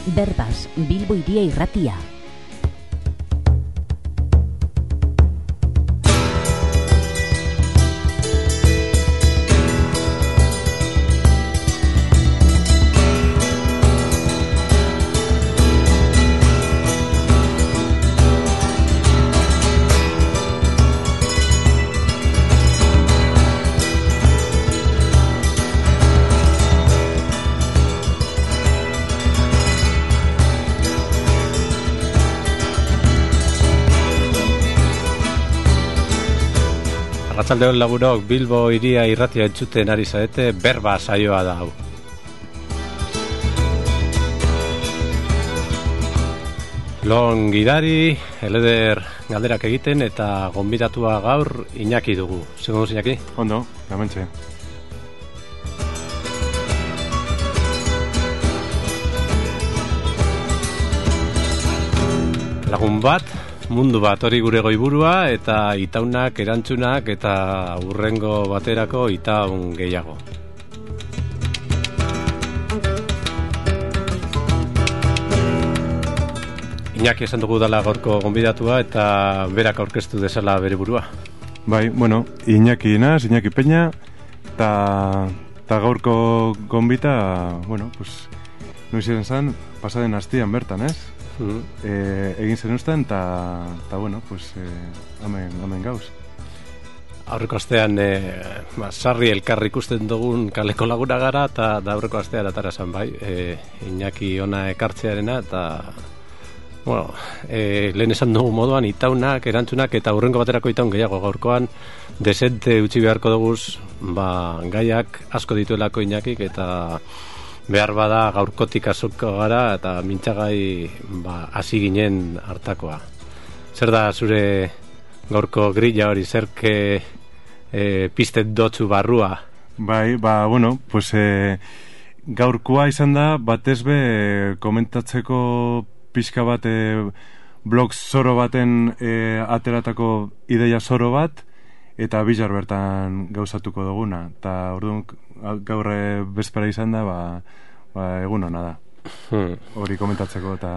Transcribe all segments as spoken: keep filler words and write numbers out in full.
Berbas, Bilbo Hiria Irratia. Arratsaldeon lagunok, Bilbo Hiria Irratia entzuten ari zarete, berba saioa da hau. Lon gidari, eleder galderak egiten eta gonbidatua gaur Iñaki dugu. Zer moduz, Iñaki? Ondo, gamentxe. Lagun bat, mundu bat hori gure goiburua eta itaunak, erantzunak eta urrengo baterako itaun gehiago. Iñaki esan dugu dala gaurko gonbidatua eta berak aurkeztu dezala bere burua. Bai, bueno, Iñaki naz, Iñaki Peña eta ta gaurko gonbita, bueno, pues noiz izan zen, pasaden astian bertan, ez? Mm-hmm. E, egin zen usten eta, eta bueno, pues eh, amen, amen gauz. Aurreko astean e, ba, sarri elkarri ikusten dugun kaleko laguna gara eta da aurreko astean atara zen bai e, Iñaki ona ekartzearena eta bueno, e, lehen esan dugu moduan itaunak, erantzunak eta urrengo baterako itaun gehiago gaurkoan desente utzi beharko duguz ba, gaiak asko dituelako Iñakik eta behar bada gaurkotik azoko gara eta mintzagai ba, hasi ginen hartakoa. Zer da zure gaurko grilla hori, zerke e, piztet dotzu barrua? Bai, ba, bueno, pues e, gaurkoa izan da batez be komentatzeko pixka bat e, blog zoro baten e, ateratako ideia zoro bat eta Bilar bertan gauzatuko duguna eta orduan gaur bezpera izan da ba, ba egun hona da hmm. hori komentatzeko eta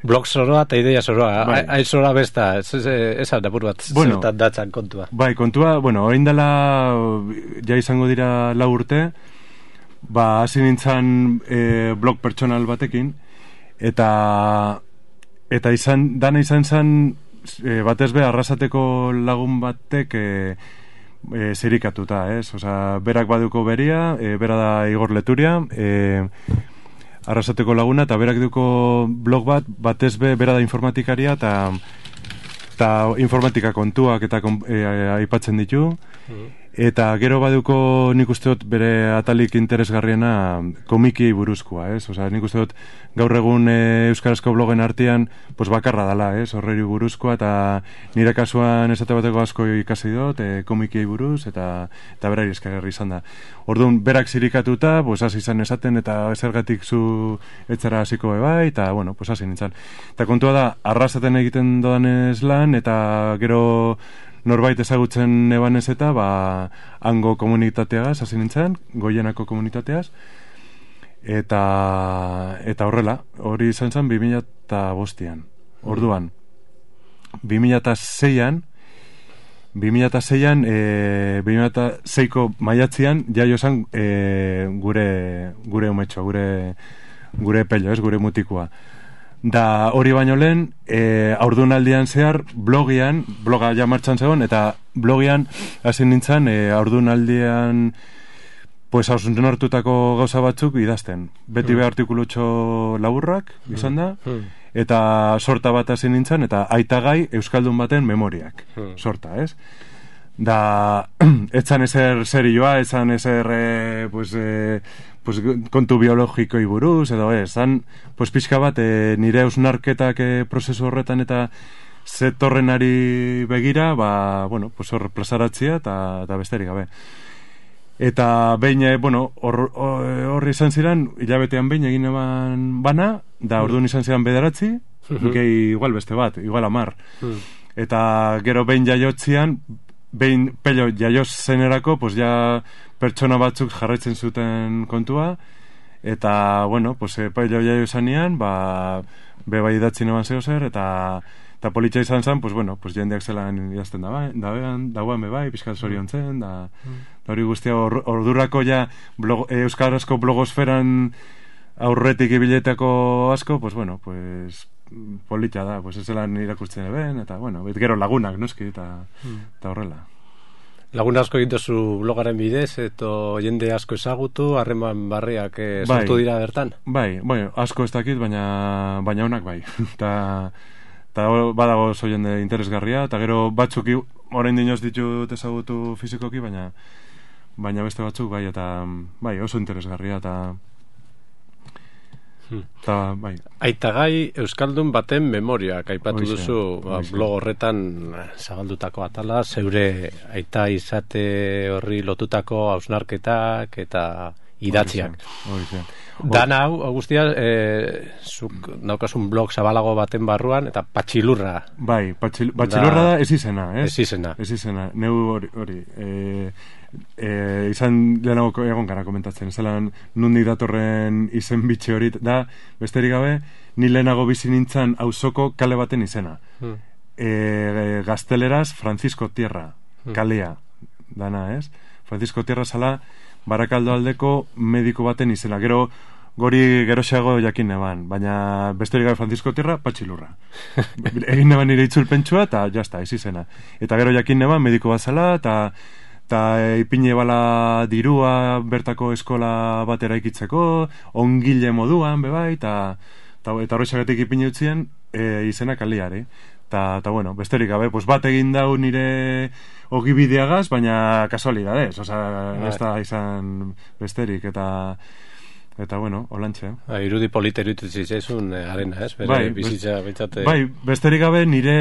blog zoroa eta ideia zoroa bai. Hain zoroa besta esan da buru bat bueno, zertan datzan kontua bai kontua, bueno, orain dela ja izango dira lau urte ba hasi nintzen e, blog pertsonal batekin eta eta izan dana izan zen E, batez be arrasateko lagun batek e, e, zirikatuta, ez? Osea, berak baduko beria, e, bera da Igor Leturia, e, arrasateko laguna, eta berak duko blog bat, batez be bera da informatikaria, eta eta informatika kontuak eta e, aipatzen ditu, mm. eta gero baduko nik uste dut bere atalik interesgarriena komiki buruzkoa, ez? Osea, nik uste dut gaur egun e, euskarazko blogen artean pues bakarra dala, ez? Horreri buruzkoa eta nire kasuan esate bateko asko ikasi dut e, komiki buruz eta eta berari eskarri izan da. Orduan berak zirikatuta, pues hasi izan esaten eta zergatik zu etzara hasiko bai eta bueno, pues hasi nintzen. Eta kontua da arrasaten egiten dodanez lan eta gero norbait ezagutzen ebanez eta ba, hango komunitateagaz hasi nintzen, Goienako komunitateaz eta eta horrela, hori izan zen bi mila bostean. Orduan bi mila seian bi mila seian e, bi mila seiko maiatzean jaio zen e, gure gure umetxo, gure gure pello, ez, gure mutikoa. Da hori baino lehen, e, aurdunaldian zehar, blogian, bloga ja martxan zegoen, eta blogian hasi nintzen, e, aurdunaldian pues, hausuntzen hartutako gauza batzuk idazten. Beti mm. be artikulutxo laburrak, izan da, mm. eta sorta bat hasi nintzen, eta aitagai euskaldun baten memoriak, mm. sorta, ez? Da, etzan ezer serioa, etzan ezer, e, pues, e, pues, kontu biologikoi buruz, edo ez, zan, pues, pixka bat, e, nire ausnarketak e, prozesu horretan eta zetorrenari begira, ba, bueno, pues, hor plazaratzia eta, eta besterik gabe. Eta behin, e, bueno, horri hor izan ziren, hilabetean behin egin eban bana, da orduan izan ziren bederatzi, uh-huh. gehi igual beste bat, igual amar. Uh-huh. Eta gero behin jaiotzian, behin pello jaioz zenerako, pues ja pertsona batzuk jarraitzen zuten kontua, eta, bueno, pues, epaile hori zanean, ba, be bai idatzi neban zeo zer, eta eta politxa izan zen, pues, bueno, pues, jendeak zelan idazten dagoen, dagoen, dagoen be bai, pixkat zorion zen, da, da hori guztia ordurako ja blog, euskarazko blogosferan aurretik ibiletako asko, pues, bueno, pues, politxa da, pues, ez zelan irakurtzen eben, eta, bueno, bet gero lagunak, noski, eta, eta horrela. Lagun asko egin duzu blogaren bidez, eto jende asko ezagutu, harreman barriak eh, sortu bai, dira bertan? Bai, bai, asko ez dakit, baina, baina honak bai. Eta eta badago oso jende interesgarria, eta gero batzuk orain dinoz ditut ezagutu fizikoki, baina baina beste batzuk bai, eta bai, oso interesgarria, eta eta bai. Aitagai Euskaldun baten memoriak aipatu Oixe, duzu ba, blog horretan zabaldutako atala, zeure aita izate horri lotutako hausnarketak eta idatziak. Oixe, oixe. Dana hau, guztia, e, zuk daukasun blog zabalago baten barruan, eta patxilurra. Bai, patxil, patxilurra da, da ez izena, ez? Ez izena. Ez izena, neu hori, hori e, e, izan lehenago egon gara komentatzen, zelan nundik datorren izen bitxe hori, da, besterik gabe, ni lehenago bizi nintzen auzoko kale baten izena. Hmm. E, gazteleraz, Francisco Tierra, kalea, dana, ez? Francisco Tierra zala, Barakaldo aldeko mediko baten izena. Gero, gori geroxeago jakin neban, baina besterik gabe Francisco Tierra, patxilurra. Egin neban nire itzulpentsua, eta jazta, ez izena. Eta gero jakin neban mediko bat zala, eta eta ipine bala dirua bertako eskola batera ikitzeko, ongile moduan, bebai, eta eta horrexagatik ipine utzien e, izena kaliare. Eta, eta bueno, besterik gabe, pues bat egin dau nire ogibideagaz, baina kasualidadez, oza, ez da izan besterik, eta eta bueno, holantxe. Ba, irudi polita iruditu zitzaizun eh, arena, ez? Bere, bai, bizitza, bintzate... bai, besterik gabe nire,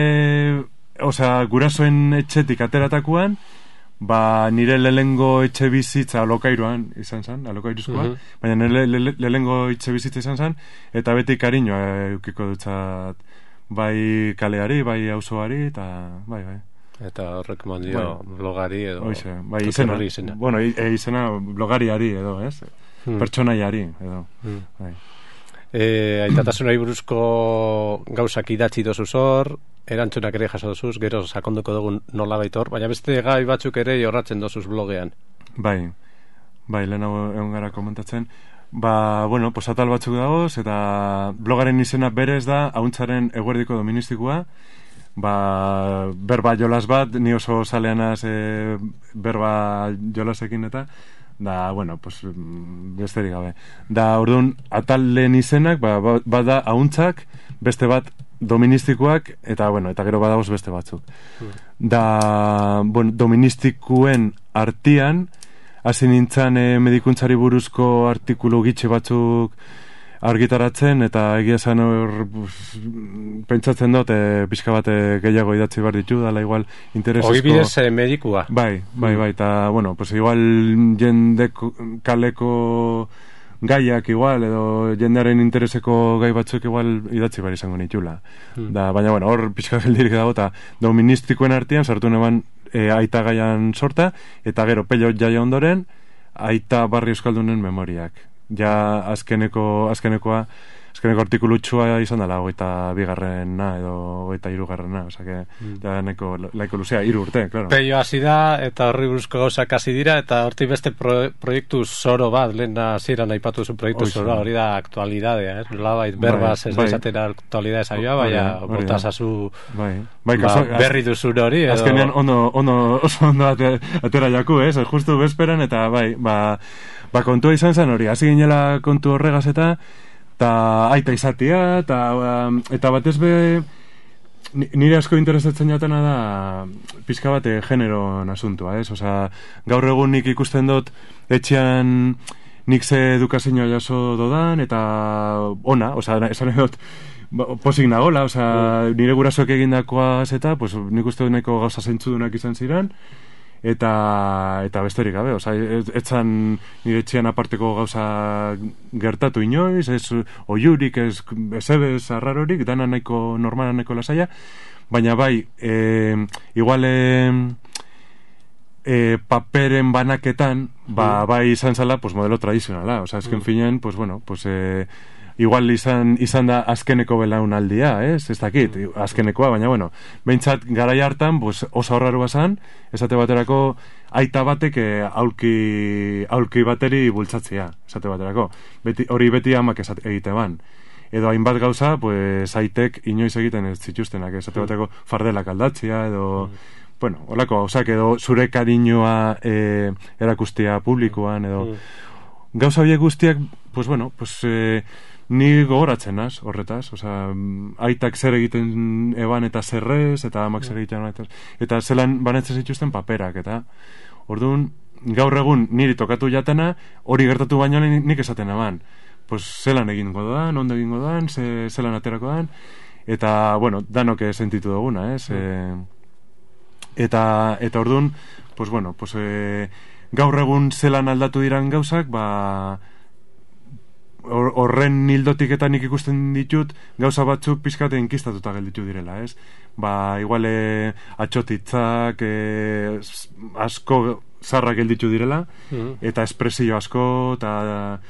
oza, gurasoen etxetik ateratakuan, ba, nire lehengo etxe bizitza alokairuan izan zen, alokairuzkoa, uh-huh. baina nire le, le, lehengo etxe bizitza izan zen, eta beti kariñoa eukiko dutzat, bai kaleari, bai auzoari, eta bai, bai. Eta horrek mandio bai. Blogari edo... Oixe, bai, izena, izena. Bueno, e, izena blogariari edo, ez? Hmm. Pertsonaiari edo, hmm. bai. E, aitatasunari buruzko gauzak idatzi dozu zor, erantzunak ere jaso dozuz, gero sakonduko dugun nola baitor, baina beste gai batzuk ere jorratzen dozuz blogean. Bai, bai, lehenago egon gara komentatzen. Ba, bueno, pues atal batzuk dagoz, eta blogaren izena berez da, hauntzaren eguerdiko doministikoa, ba, berba jolas bat, ni oso zaleanaz e, berba jolasekin eta, da, bueno, pues, besterik gabe. Da, orduan, atal lehen izenak, ba, ba da, hauntzak, beste bat doministikoak, eta, bueno, eta gero badagoz beste batzuk. Da, bueno, doministikuen artian, hasi nintzen e, medikuntzari buruzko artikulu gitxe batzuk argitaratzen, eta egia zen hor pentsatzen dut, e, pixka bat gehiago idatzi behar ditu, dala igual interesesko... Ogibidez e, medikua. Bai, bai, bai, eta, bueno, pues igual jende kaleko gaiak igual, edo jendearen intereseko gai batzuk igual idatzi behar izango nitula. Hmm. Da, baina, bueno, hor pixka geldirik dago, eta doministikoen artean sartu neban E, aita gaian sorta, eta gero pello jaia ondoren, aita barri euskaldunen memoriak. Ja azkeneko, azkenekoa, azkeneko artikulutxua izan dela, hogeita bigarrena edo hogeita hirugarrena, oza que, mm. ja neko, laiko luzea, hiru urte, claro. Pello hasi da, eta horri buruzko gauzak hasi dira, eta horti beste pro, proiektu zoro bat, lehen hasieran aipatu zu proiektu Oizu. Zoro, hori da aktualidadea, eh? Nolabait berbaz ez bai. Esatera aktualidadea saioa, baina bota zazu bai. Bai, ba, berri duzun hori. Edo... Azkenean ondo, ondo, oso ondo atera jaku, ez? Eh? Justu bezperan, eta bai, ba, ba kontua izan zen hori, hasi ginela kontu horregaz eta eta aita izatea, eta, eta batez be nire asko interesatzen jatena da pizka bate generoan asuntua, ez? Osa, gaur egun nik ikusten dut etxean nik ze edukazioa jaso dodan, eta ona, osa, esan edot posik nagola, osa, nire gurasoak egindakoaz eta, pues, nik uste dut nahiko gauza zentzudunak izan ziren, eta eta besterik gabe, oza, etzan nire etxean aparteko gauza gertatu inoiz, ez oiurik, ez ezebez arrarorik, dana nahiko normala nahiko lasaia, baina bai, e, igual e, e, paperen banaketan, ba, bai izan zala, pues, modelo tradizionala. Osa, azken mm. finean, pues, bueno, pues, e, igual izan, izan da azkeneko belaunaldia, ez? Ez dakit, azkenekoa, baina, bueno, behintzat garai hartan, pues, oso horraru bazan, esate baterako, aita batek aulki, aulki bateri bultzatzea, esate baterako. Beti, hori beti amak esate, egite ban. Edo hainbat gauza, pues, aitek inoiz egiten ez zituztenak, esate baterako fardelak aldatzea, edo... Mm. Bueno, holako, osak, edo zure kariñoa e, erakustea publikoan, edo... Mm. Gauza horiek guztiak, pues, bueno, pues... E, ni gogoratzen az, horretaz, oza, aitak zer egiten eban eta zerrez, eta amak zer egiten eta, eta zelan banetzen zituzten paperak, eta orduan, gaur egun niri tokatu jatena, hori gertatu baino nik esaten eban, pues zelan egingo doan, ondo egingo doan, ze, zelan aterako doan, eta, bueno, danok sentitu duguna, ez? Mm. E, eta, eta orduan, pues bueno, pues, e, gaur egun zelan aldatu diran gauzak, ba... horren hildotik eta nik ikusten ditut gauza batzuk pizkate inkistatuta gelditu direla, ez? Ba, igual e, atxotitzak e, asko zarrak gelditu direla, mm-hmm. eta espresio asko, eta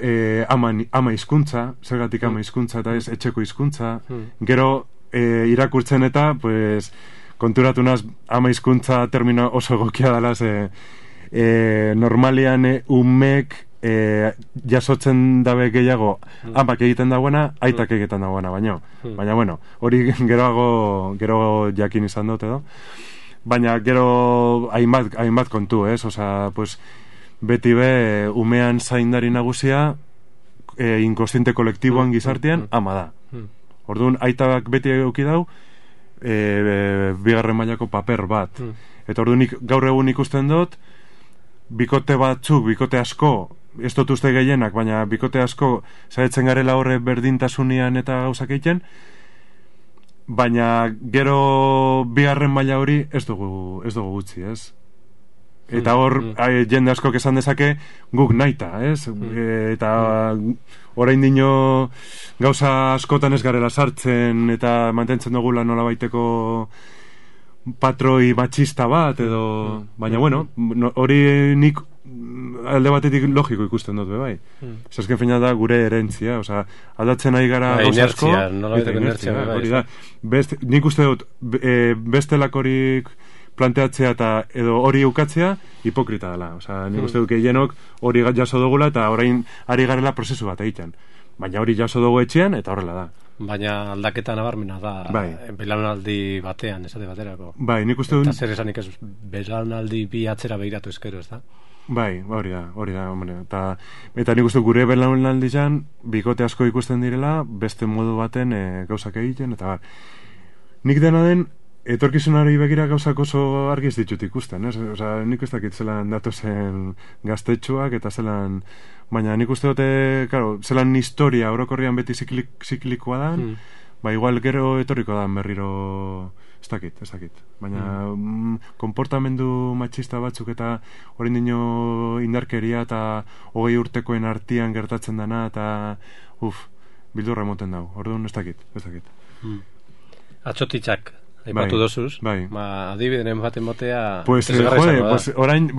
e, ama, ama hizkuntza, zergatik ama hizkuntza eta ez etxeko hizkuntza, mm-hmm. gero e, irakurtzen eta, pues, konturatu naz ama hizkuntza termino oso egokia dela, ze e, normalian e, umek E, jasotzen dabe gehiago mm. amak egiten dagoena, aitak egiten dagoena baino, mm. baina bueno, hori geroago gero jakin izan dut edo, baina gero hainbat, hainbat kontu, ez, osea, pues beti be umean zaindari nagusia e, inkostiente kolektiboan mm. gizartean mm. ama da. Mm. Orduan aitak beti eduki dau e, e, bigarren mailako paper bat. Mm. Eta orduan nik, gaur egun ikusten dut bikote batzuk, bikote asko, ez dut uste gehienak, baina bikote asko zaretzen garela horre berdintasunian eta gauzak egiten, baina gero bigarren maila hori ez dugu, ez dugu gutxi, ez? Eta hor, mm, mm. jende askok esan dezake guk naita, ez? Mm. E, eta orain dino gauza askotan ez garela sartzen eta mantentzen dugula nola baiteko patroi matxista bat edo, mm. baina bueno, hori nik alde batetik logiko ikusten dut, bai. Mm. Zasken feina da gure erentzia, oza, aldatzen ari gara ba, gauza asko. Inertzia, nola baiteko inertzia, bai. Hori da, Best, nik uste dut, e, bestelakorik planteatzea eta edo hori ukatzea hipokrita dela, oza, nik mm. uste dut gehienok hori jaso dugula eta orain ari garela prozesu bat egiten. Baina hori jaso dugu etxean eta horrela da. Baina aldaketa nabarmena da, bai. Belaunaldi batean, esate baterako. Bai, nik uste dut... Eta zer esanik ez, belaunaldi bi atzera behiratu ezkero, ez da? Bai, hori da, hori da, hombre. Eta, eta nik uste gure belaunaldi jan, bikote asko ikusten direla, beste modu baten e, gauzak egiten, eta bar. Nik dena den, etorkizunari begira gauzak oso argi ez ditut ikusten, ez? Osa, nik ez dakit zelan datozen gaztetxoak, eta zelan... Baina nik uste dute, claro, zelan historia orokorrian beti ziklik, ziklikoa dan, mm. ba igual gero etorriko dan berriro, ez dakit, ez dakit. Baina mm. mm, konportamendu matxista batzuk eta orain dino indarkeria eta hogei urtekoen artian gertatzen dana eta uf, bildurra emoten dau, orduan ez dakit, ez dakit. Mm. Atxotitzak aipatu bai, dozuz, bai. Ba, adibidenen baten botea... Pues, eh, jode, pues, orain,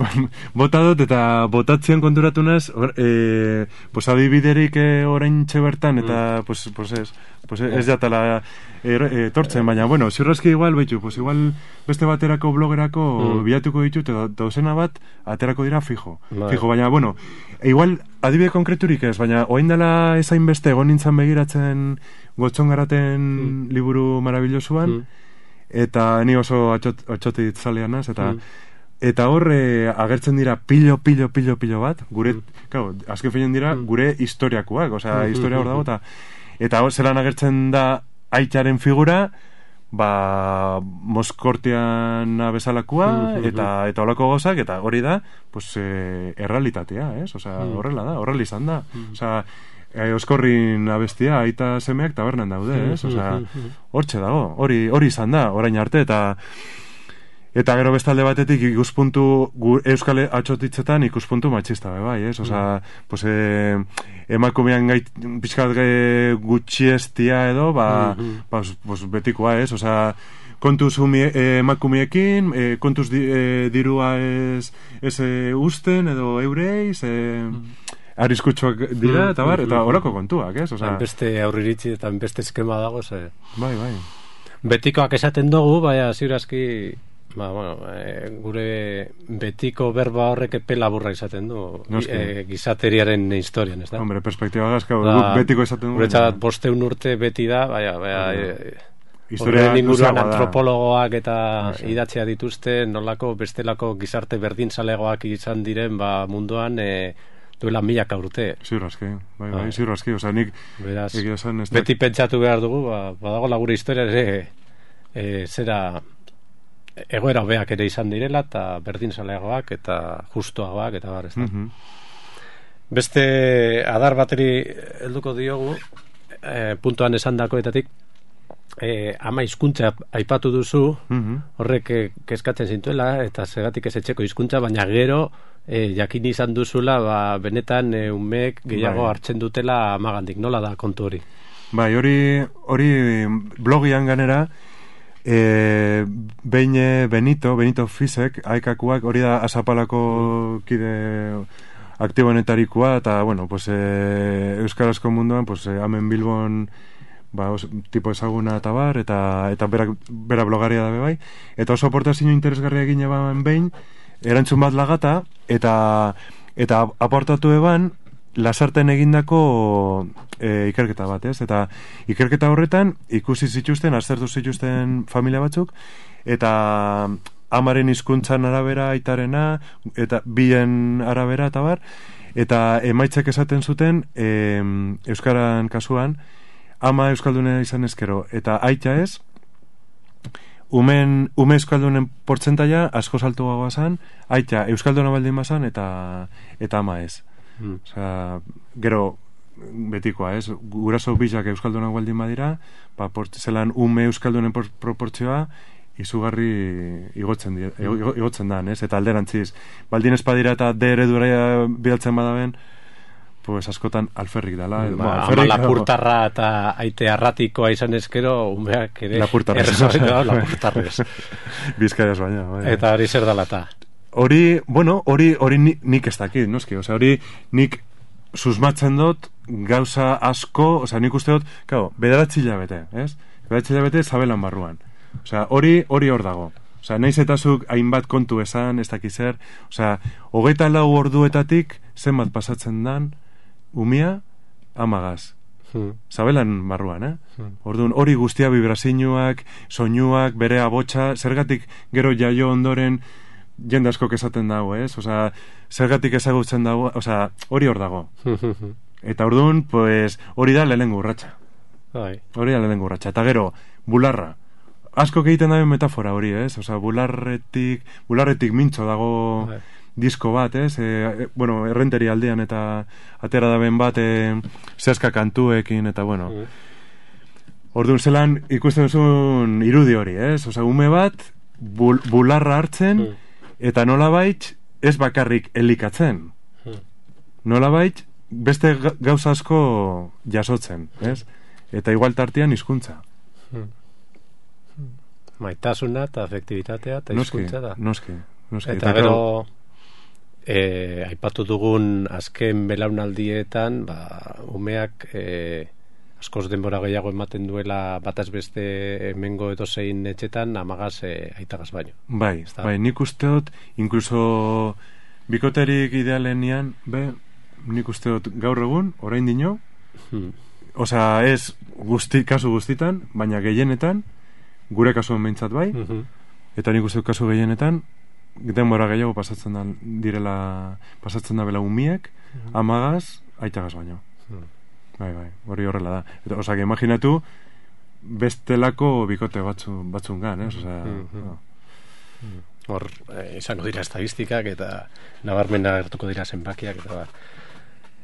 bota dut eta botatzen konturatunaz, or, eh, pues, adibiderik eh, orain txebertan, eta, mm. pues, pues, ez, pues, ez jatala etortzen, eh, baina, bueno, ziurrazki igual, behitu, pues, igual beste baterako blogerako mm. bilatuko ditut, eta dauzena bat, aterako dira fijo, bai. fijo, baina, bueno, igual, adibide konkreturik ez, baina, oain dela ezain beste, egon nintzen begiratzen Gotxongaraten mm. liburu marabillosuan, mm. eta ni oso atxot, atxotit zaleanaz, eta mm. eta horre agertzen dira pilo, pilo, pilo, pilo bat, gure, mm. claro, azken feinen dira, mm. gure historiakoak, osea, mm. historia hor dago, eta eta hor zelan agertzen da aitaren figura, ba, Moskortiana bezalakoa, mm. eta eta holako gozak, eta hori da, pues, eh, errealitatea, ez? Osea, mm. horrela da, horrela izan da, mm. osea, E, Oskorrin abestia, aita semeak tabernan daude, ez? Osea, hortxe dago, hori hori izan da, orain arte, eta eta gero bestalde batetik ikuspuntu euskal atxotitzetan ikuspuntu matxista, bai, ez? Osea, pues, e, emakumean gait, pixkat gutxiestia edo, ba, ba pues, betikoa, ez? Osea, kontuz umie, eh, emakumiekin, eh, kontuz di, eh, dirua ez, ez eh, usten edo eureiz, eh, arriskutsuak dira, eta bar, eta horako kontuak, ez? Osea, beste aurriritzi eta beste eskema dago, ze... Bai, bai. Betikoak esaten dugu, baina ziurazki, ba, bueno, e, gure betiko berba horrek epe laburra izaten du, e, gizateriaren historian, ez da? Hombre, perspektiba gazka, guk betiko esaten du. Guretzat bosteun urte beti da, baina, baina, e, horren inguruan antropologoak eta idatzea dituzte, nolako bestelako gizarte berdinzalegoak izan diren, ba, munduan, e, duela milaka urte. Ziur aski, bai, bai, ziur aski, oza, nik beraz, beti pentsatu behar dugu, ba, badago lagure historia ere, e, zera egoera hobeak ere izan direla, eta berdinzaleagoak, eta justuagoak, eta bar, ez da. Mm -hmm. Beste adar bateri helduko diogu, e, puntuan esan dakoetatik, e, ama hizkuntza aipatu duzu, mm -hmm. horrek e, kezkatzen zintuela, eta segatik ez etxeko hizkuntza, baina gero E, jakin izan duzula, ba, benetan e, umeek gehiago bai. hartzen dutela amagandik, nola da kontu hori? Bai, hori, hori blogian ganera, e, behin Benito, Benito Fisek, aikakuak, hori da Azapalako kide aktibonetarikoa, eta, bueno, pues, e, Euskarazko munduan, pues, e, hemen Bilbon, ba, os, tipo ezaguna eta bar, eta, eta bera, bera blogaria dabe bai, eta oso aportazio interesgarria egin eban behin, erantzun bat lagata, eta eta aportatu eban lasarten egindako e, ikerketa bat, ez? Eta ikerketa horretan ikusi zituzten, aztertu zituzten familia batzuk, eta amaren hizkuntzan arabera aitarena, eta bien arabera eta bar, eta emaitzak esaten zuten e, euskaran kasuan, ama euskaldunea izan ezkero, eta aita ez, Umen, ume euskaldunen portzentaia asko saltuagoa zan, aita euskalduna baldin bazan eta eta ama ez. Mm. Osea, gero betikoa, ez? Guraso bizak euskaldunak baldin badira, ba, zelan ume euskaldunen por, proportzioa izugarri igotzen, di, mm. igotzen dan, ez? Eta alderantziz, baldin espadira eta de eredura bidaltzen badaben, pues askotan alferrik dala. Ba, ba, ama lapurtarra eta aite arratikoa izan ezkero, umeak ere... Lapurtarrez. No, lapurtarrez. Bizkaiaz baina. Bai. Eta hori zer dalata? Hori, bueno, hori hori nik ez dakit, noski? Osea, hori nik susmatzen dut gauza asko, osea, nik uste dut, claro, bederatzi hilabete, ez? Bederatzi hilabete zabelan barruan. Osea, hori hori hor dago. Osea, naiz eta zuk hainbat kontu esan, ez dakiz zer, osea, hogeita lau orduetatik zenbat pasatzen dan umia amagaz. Hmm. Zabelan barruan, eh? Hmm. Orduan, hori guztia vibrazioak, soinuak, bere abotsa, zergatik gero jaio ondoren jende asko esaten dago, ez? Osea, zergatik ezagutzen dago, osea, hori hor dago. Eta orduan, pues, hori da lehenengo urratsa. Hori da lehenengo urratsa. Eta gero, bularra. Asko egiten dabe metafora hori, ez? Osea, bularretik, bularretik mintzo dago... Hai. Disko bat, ez? E, bueno, errenteri aldean eta atera daben bat e, zehazka kantuekin eta, bueno. Mm. Orduan zelan ikusten duzun irudi hori, ez? Osa, ume bat bul, bularra hartzen mm. eta nolabait ez bakarrik elikatzen. Mm. Nolabait beste gauza asko jasotzen, ez? Eta igual tartean hizkuntza. Mm. Maitasuna eta afektibitatea eta hizkuntza da. Noski, noski. Eta, eta gero... E, aipatu dugun azken belaunaldietan, ba, umeak e, askoz denbora gehiago ematen duela bataz beste hemengo edozein etxetan amagaz e, aitagaz baino. Bai, bai, nik uste dut, inkluso bikoterik idealenian, be, nik uste dut gaur egun, orain dino, hmm. osea, ez guzti, kasu guztitan, baina gehienetan, gure kasuan behintzat bai, hmm. eta nik uste dut kasu gehienetan, denbora gehiago pasatzen da direla pasatzen da bela umiek mm. amagaz, aitagaz baino mm. bai, bai, hori horrela da eta, osea, que imaginatu bestelako bikote batzu, batzungan, ez? Osea, mm-hmm. no. Hor, eh, izango dira estadistikak eta nabarmena gertuko dira zenbakiak eta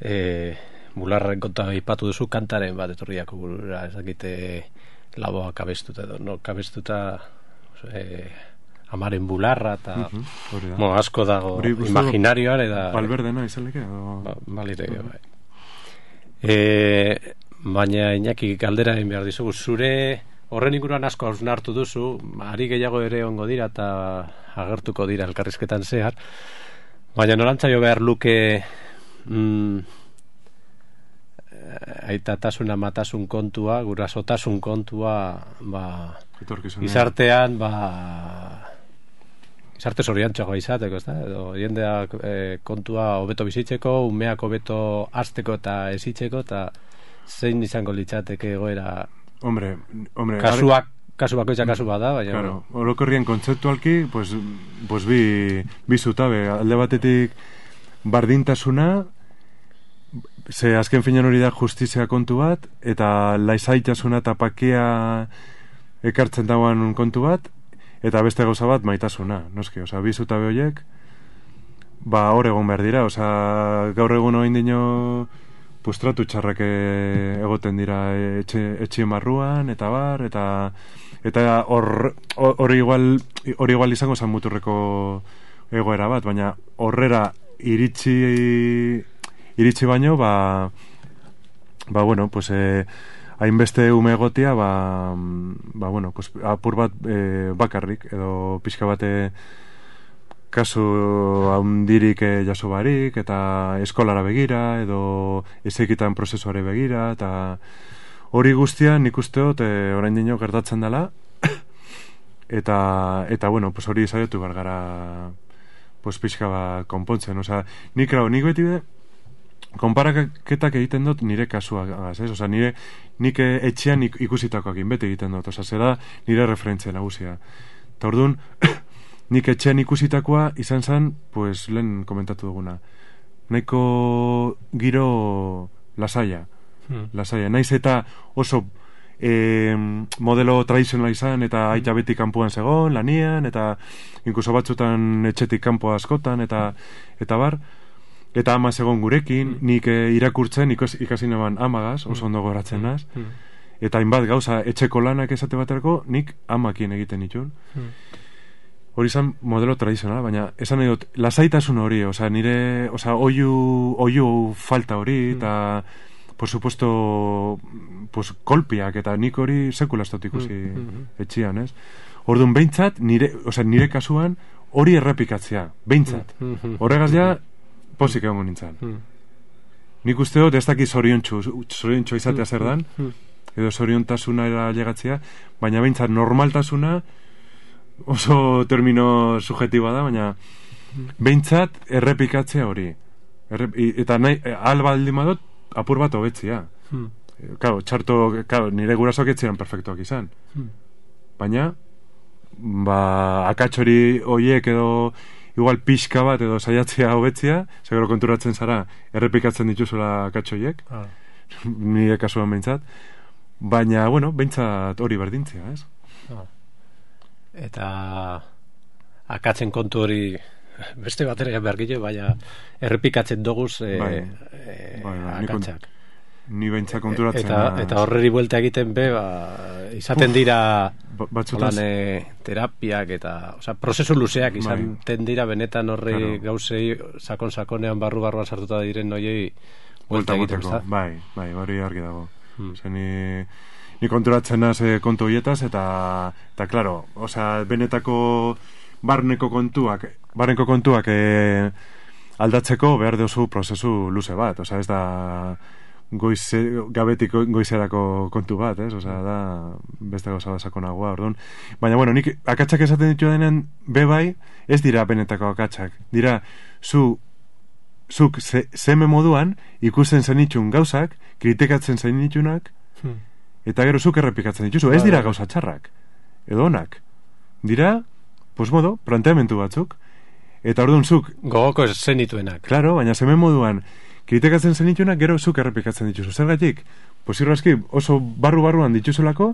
eh, bularren konta ipatu duzu kantaren bat etorriako burura, ez dakite laboa kabestuta edo, no, kabestuta eh, amaren bularra eta uh-huh, mo, asko dago imaginarioan eta Valverdena izaleke ba, balire uh-huh. bai. E, baina Iñaki galdera egin behar dizugu, zure horren inguruan asko hausnartu duzu, ari gehiago ere ongo dira eta agertuko dira elkarrizketan zehar, baina norantzaio behar luke mm, aitatasun amatasun kontua, gurasotasun kontua, ba, izartean, ba, izarte zoriantxoa izateko, ez da? Edo jendeak e, kontua hobeto bizitzeko, umeak hobeto hasteko eta ezitzeko, eta zein izango litzateke egoera. Hombre, hombre, kasuak, kasu bakoitza kasu bada, baina claro, orokorrien kontzeptualki, pues, pues bi, bi zutabe, alde batetik bardintasuna, ze azken finean hori da justizia kontu bat, eta laizaitasuna eta pakea ekartzen dagoen kontu bat, eta beste gauza bat maitasuna, noski, oza, bi zutabe horiek, ba, hor egon behar dira, oza, gaur egun hori dino, pues tratu txarrak egoten dira etxe, etxien barruan, eta bar, eta eta hor hori igual, hori igual izango zan muturreko egoera bat, baina horrera iritsi iritsi baino, ba, ba bueno, pues eh, hainbeste ume egotia, ba, ba bueno, pues apur bat eh, bakarrik, edo pixka bate kasu handirik eh, jaso barik, eta eskolara begira, edo ezekitan prozesuare begira, eta hori guztia nik usteot eh, orain dino gertatzen dela, eta, eta bueno, pues hori saiatu behar gara pues pixka bat konpontzen, osea, nik grau, nik beti be, konparaketak egiten dut nire kasuagaz, ez? Osea, nire, nik etxean ikusitakoak beti egiten dut, osea, zera nire referentzia nagusia. Eta orduan, nik etxean ikusitakoa izan zen, pues, lehen komentatu duguna. Nahiko giro lasaia. Hmm. Lasaia. Naiz eta oso e, modelo tradizionala izan, eta aita beti kanpoan zegoen, lanian, eta inkuso batzutan etxetik kanpoa askotan, eta eta bar, eta ama zegoen gurekin, hmm. nik e, irakurtzen ikas, ikasi neban amagaz, oso ondo goratzen naz, hmm. eta hainbat gauza etxeko lanak esate baterako, nik amakin egiten itun. Hmm. Hori izan modelo tradizionala, baina esan nahi dut, lasaitasun hori, oza, nire, oza, oiu, oiu falta hori, eta, mm. por supuesto, pues, kolpiak, eta nik hori sekulaztot ikusi mm -hmm. etxian, ez? Orduan, behintzat, nire, oza, nire kasuan, hori errepikatzea, behintzat. Mm -hmm. Horregaz ja, posik egon nintzen. Mm. Nik uste dut, ez daki zoriontxu, zoriontxu izatea zer dan, mm. edo zoriontasuna era llegatzea, baina behintzat, normaltasuna, oso termino subjetiboa da, baina behintzat errepikatzea hori. Errep, eta nahi, alba aldimadot, apur bat hobetzia. Hmm. Claro, txarto, claro, nire gurasoak etziren perfektuak izan. Hmm. Baina, ba, akatxori horiek edo igual pixka bat edo saiatzea hobetzia, seguro konturatzen zara, errepikatzen dituzula akatxoiek, ah. nire kasuan behintzat. Baina, bueno, behintzat hori berdintzea, ez? Ah. Eta akatzen kontu hori beste batera bergile, baina errepikatzen doguz e, bai, e, bai, bai, akatzak. Ni behintzak konturatzen. Eta, eta horreri buelta egiten be, ba, izaten Uf, dira batzutaz... e, terapiak eta, oza, prozesu luzeak izaten bai. dira benetan horri claro. gauzei sakon-sakonean barru-barruan sartuta diren noiei buelta egiten. Bai, bai, hori argi dago. Hmm. Zeni... Ni konturatzen naz eh, kontu hoietaz, eta, eta claro, osea, benetako barneko kontuak, barneko kontuak eh, aldatzeko behar duzu prozesu luze bat, osea, ez da goize, gabetik goizerako kontu bat, ez, osea, da beste gauza da sakonagoa, orduan. Baina, bueno, nik akatsak esaten ditu denen bebai, ez dira benetako akatsak, dira, zu, zuk ze, zeme moduan ikusten zenitxun gauzak, kritikatzen zenitxunak, hmm. eta gero zuk errepikatzen dituzu, ez dira gauza txarrak, edo onak. Dira, pues modo, planteamentu batzuk, eta orduan zuk... Gogoko zenituenak. Claro, baina zemen moduan, kritikatzen zenituenak, gero zuk errepikatzen dituzu. Zergatik, pues irrazki, oso barru-barruan dituzulako,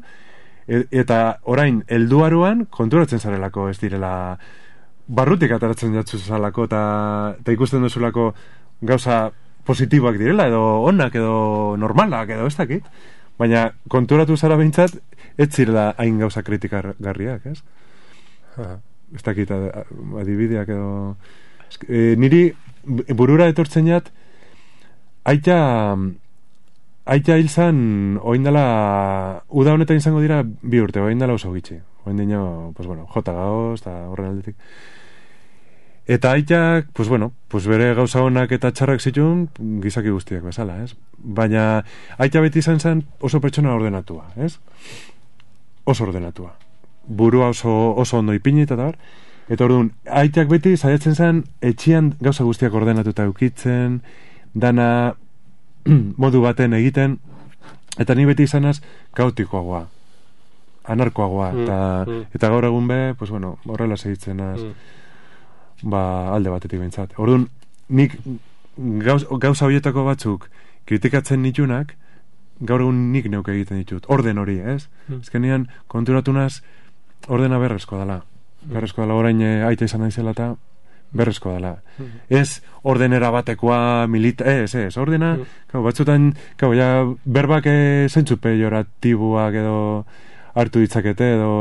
e, eta orain, helduaruan konturatzen zarelako, ez direla, barrutik ataratzen jatzuzalako, eta, eta ikusten duzulako gauza positiboak direla, edo onak, edo normalak, edo ez dakit. Baina konturatu zara behintzat, ez zirela hain gauza kritikargarriak, ez? Uh-huh. Ez dakit adibideak edo... E, niri burura etortzen jat, aita, aita hil zan, oindala, uda honetan izango dira bi urte, oindala oso gitxi. Oindino, pues bueno, jota gaoz, eta horren aldetik. Eta aitak, pues bueno, pues bere gauza honak eta txarrak zituen, gizaki guztiak bezala, ez? Baina aita beti izan zen oso pertsona ordenatua, ez? Oso ordenatua. Burua oso, oso ondo ipini eta bar. Eta orduan, aitak beti saiatzen zen etxian gauza guztiak ordenatuta eukitzen, dana modu baten egiten, eta ni beti izanaz kaotikoagoa, anarkoagoa, eta, mm, mm. eta gaur egun be, pues bueno, horrela segitzen az, mm. ba, alde batetik behintzat. Orduan, nik gauz, gauza horietako batzuk kritikatzen nitunak, gaur egun nik neuke egiten ditut, orden hori, ez? Mm. Ezkenean, konturatu naz, ordena berrezkoa dela. Mm. Berrezkoa dela, orain e, aita izan naizela eta berrezkoa dela. Mm. Ez ordenera batekoa milita... Ez, ez, ordena, mm. kau, batzutan, kau, ja, berbak e, zentzu pejoratiboak edo hartu ditzakete edo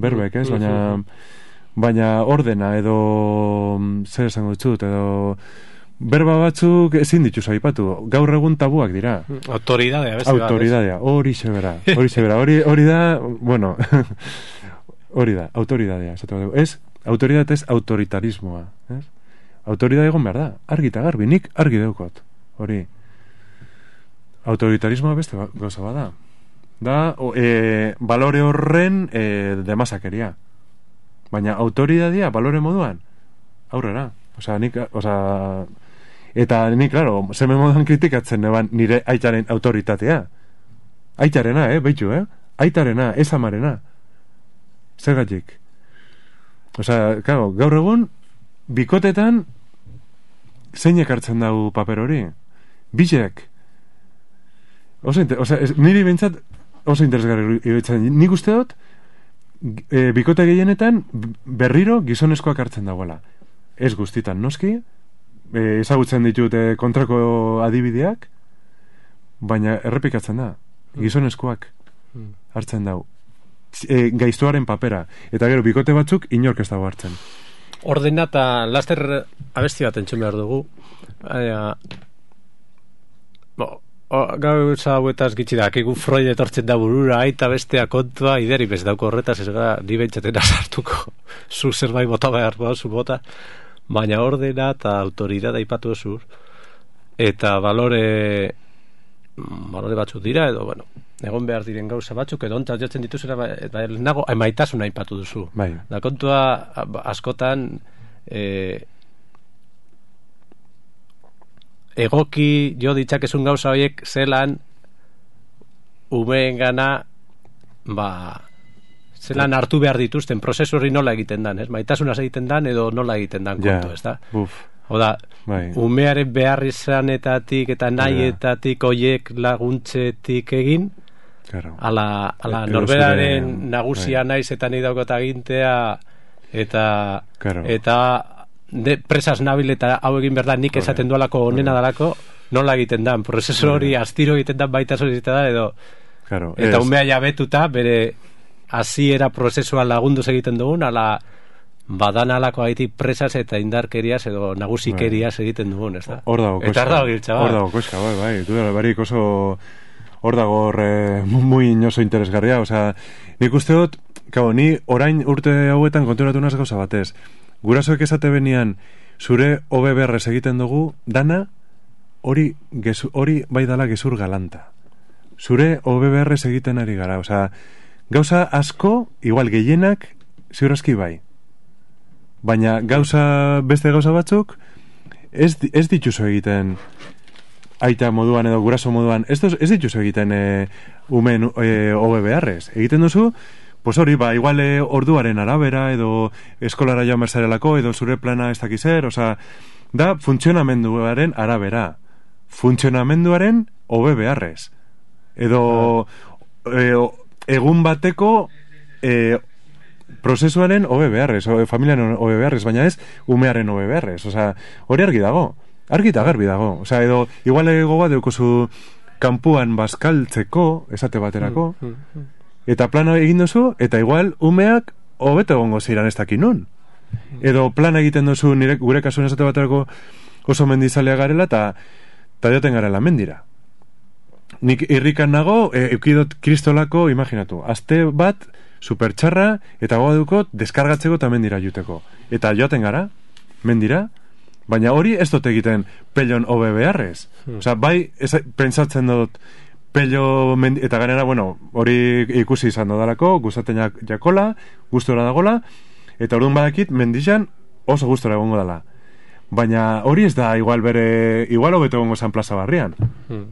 berbek, ez? Baina, baina ordena edo zer esango dutxut, edo berba batzuk ezin dituzu aipatu. Gaur egun tabuak dira. Autoridadea, beste bat. Autoridadea, hori sebera. Hori sebera, hori, hori da, bueno, hori da, autoridadea. Ez, autoridad ez autoritarismoa. Ez? Autoridad egon behar da, argi eta garbi, nik argi deukot. Hori. Autoritarismoa beste gauza bada. Da, o, e, balore horren e, demasakeria. Baina autoridadea balore moduan aurrera. Osea, nik, osea, eta nik, claro, zeme moduan kritikatzen neban nire aitaren autoritatea. Aitarena, eh, beitu, eh? Aitarena, ez amarena. Zergatik. Osea, claro, gaur egun bikotetan zeinek hartzen dau paper hori? Bilek. Oso, osea, niri bintzat oso interesgarri iruditzen. Nik uste dut e, bikote gehienetan berriro gizonezkoak hartzen dagoela. Ez guztitan noski, e, ezagutzen ditut e, kontrako adibideak, baina errepikatzen da, gizonezkoak hartzen dau. E, gaiztuaren papera. Eta gero, bikote batzuk inork ez dago hartzen. Ordena eta laster abesti bat entzun behar dugu. Aia, bo, gauza hauetaz gitsi da, akigu Freud etortzen da burura, aita bestea kontua, ideri bez dauko horretaz, ez gara, ni behintzatena sartuko, zu zerbait bota behar zu bota, baina ordena eta autoridad aipatu osur, eta balore, balore batzuk dira, edo, bueno, egon behar diren gauza batzuk, edo ontzat jotzen dituzera, eta nago, emaitasuna aipatu duzu. Bai. Da kontua, askotan, eh, egoki jo ditzakezun gauza horiek zelan umeen gana ba zelan hartu behar dituzten prozesu hori nola egiten dan, ez? Maitasuna egiten dan edo nola egiten dan kontu, ez da? Oda, bai. Umearen behar izanetatik eta nahietatik hoiek laguntzetik egin claro. ala, ala e, norberaren zure, nagusia bai. Naiz eta nahi daukot agintea eta claro. eta de presas nabil eta hau egin berda nik esaten dualako onena dalako nola egiten dan, prozesu hori astiro egiten dan baita egiten da edo claro, eta es... umea jabetuta bere hasiera prozesua lagunduz egiten dugun ala badan alako haitik presas eta indarkeriaz edo nagusikeriaz egiten dugun, ez da? Hor dago koska, hor dago koska, bai, bai, du dara barik oso hor dago horre muy oso interesgarria, osea, nik uste dut, kabo, ni orain urte hauetan konturatu naz gauza batez, gurasoek esate benian zure O B B R egiten dugu dana hori hori bai dala gezur galanta. Zure O B B R egiten ari gara, osea, gauza asko, igual gehienak ziurazki bai. Baina gauza beste gauza batzuk ez, ez dituzu egiten aita moduan edo guraso moduan, ez, ez dituzu egiten e, umen e, O B B R egiten duzu. Pues hori, ba, igual eh, orduaren arabera, edo eskolara joan berzarelako, edo zure plana ez dakizer, oza, da funtzionamenduaren arabera. Funtzionamenduaren O B B R ez. Edo eh, egun bateko eh, prozesuaren O B B R ez, o, familiaren O B B R ez, baina ez umearen O B B R ez. Oza, hori argi dago, argi eta garbi dago. Oza, edo, igual egoa deukozu kanpuan bazkaltzeko, esate baterako, mm, mm, mm. Eta plana egin duzu, eta igual umeak hobeto egongo ziren ez dakin nun. Edo plana egiten duzu nire, gure kasuan esate baterako oso mendizalea garela, eta joten garela mendira. nik irrikan nago, e, eukidot kristolako, imaginatu, aste bat, supertxarra, eta goa dukot, deskargatzeko eta mendira juteko. Eta joaten gara, mendira, baina hori ez dut egiten pelon hobe beharrez. Hmm. Osa, bai, ez, pentsatzen dut, pello, mendi, eta ganera, bueno, hori ikusi izan dodalako, gustaten jak, jakola, gustora dagola, eta orduan badakit, mendixan oso gustora egongo dela. Baina hori ez da, igual bere, igual hobeto egongo zan plaza barrian. Hmm.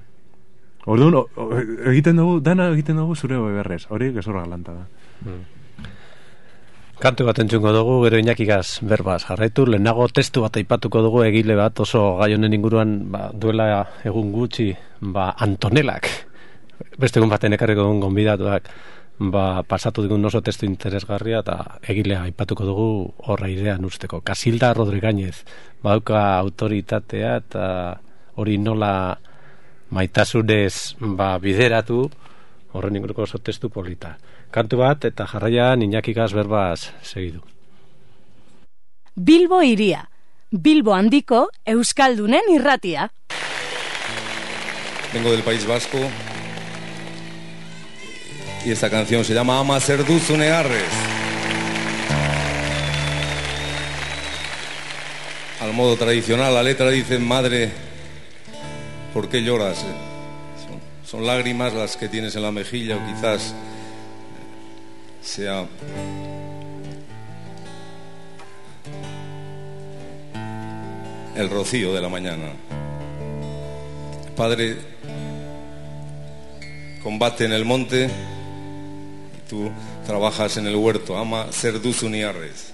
Orduan, o, o, egiten dugu, dana egiten dugu zure hobe beharrez, hori gezorra galanta da. Hmm. Kantu bat entzungo dugu, gero Iñakigaz berbaz jarraitu, lehenago testu bat aipatuko dugu egile bat oso gai honen inguruan, ba, duela egun gutxi, ba, Antonelak, beste egun baten ekarriko dugun gonbidatuak, ba, pasatu digun oso testu interesgarria eta egilea aipatuko dugu horra idean usteko. Casilda Rodrigañez, badauka autoritatea eta hori nola maitasunez ba, bideratu, horren inguruko oso testu polita. Kantu bat eta jarraian Iñakigaz berbaz segidu. Bilbo iria, Bilbo handiko euskaldunen irratia. Vengo del País Vasco y esta canción se llama Ama zer duzu negarrez. Al modo tradicional, la letra dice: madre, ¿por qué lloras? Son, son lágrimas las que tienes en la mejilla, o quizás sea el rocío de la mañana. Padre combate en el monte y tú trabajas en el huerto. Ama zer duzu niarrez.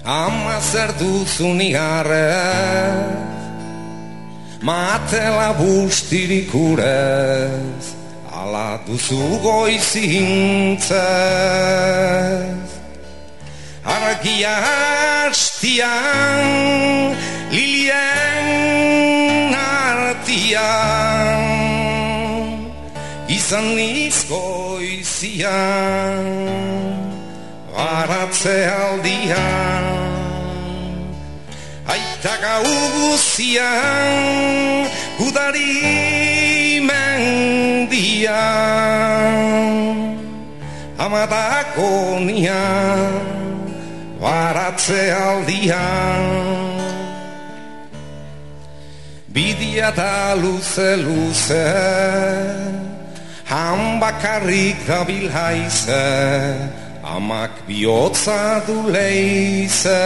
Ama zer duzu niarrez, matela bustirik urez, ala duzu goizintzez. Argia hastian, lilien artian, izan nizko izian, baratze aldian. Aita gau guzian, gudari mendian, amatako nian, baratze aldian. Bidia da luze luze, han bakarrik dabil haize, amak bihotza du leize.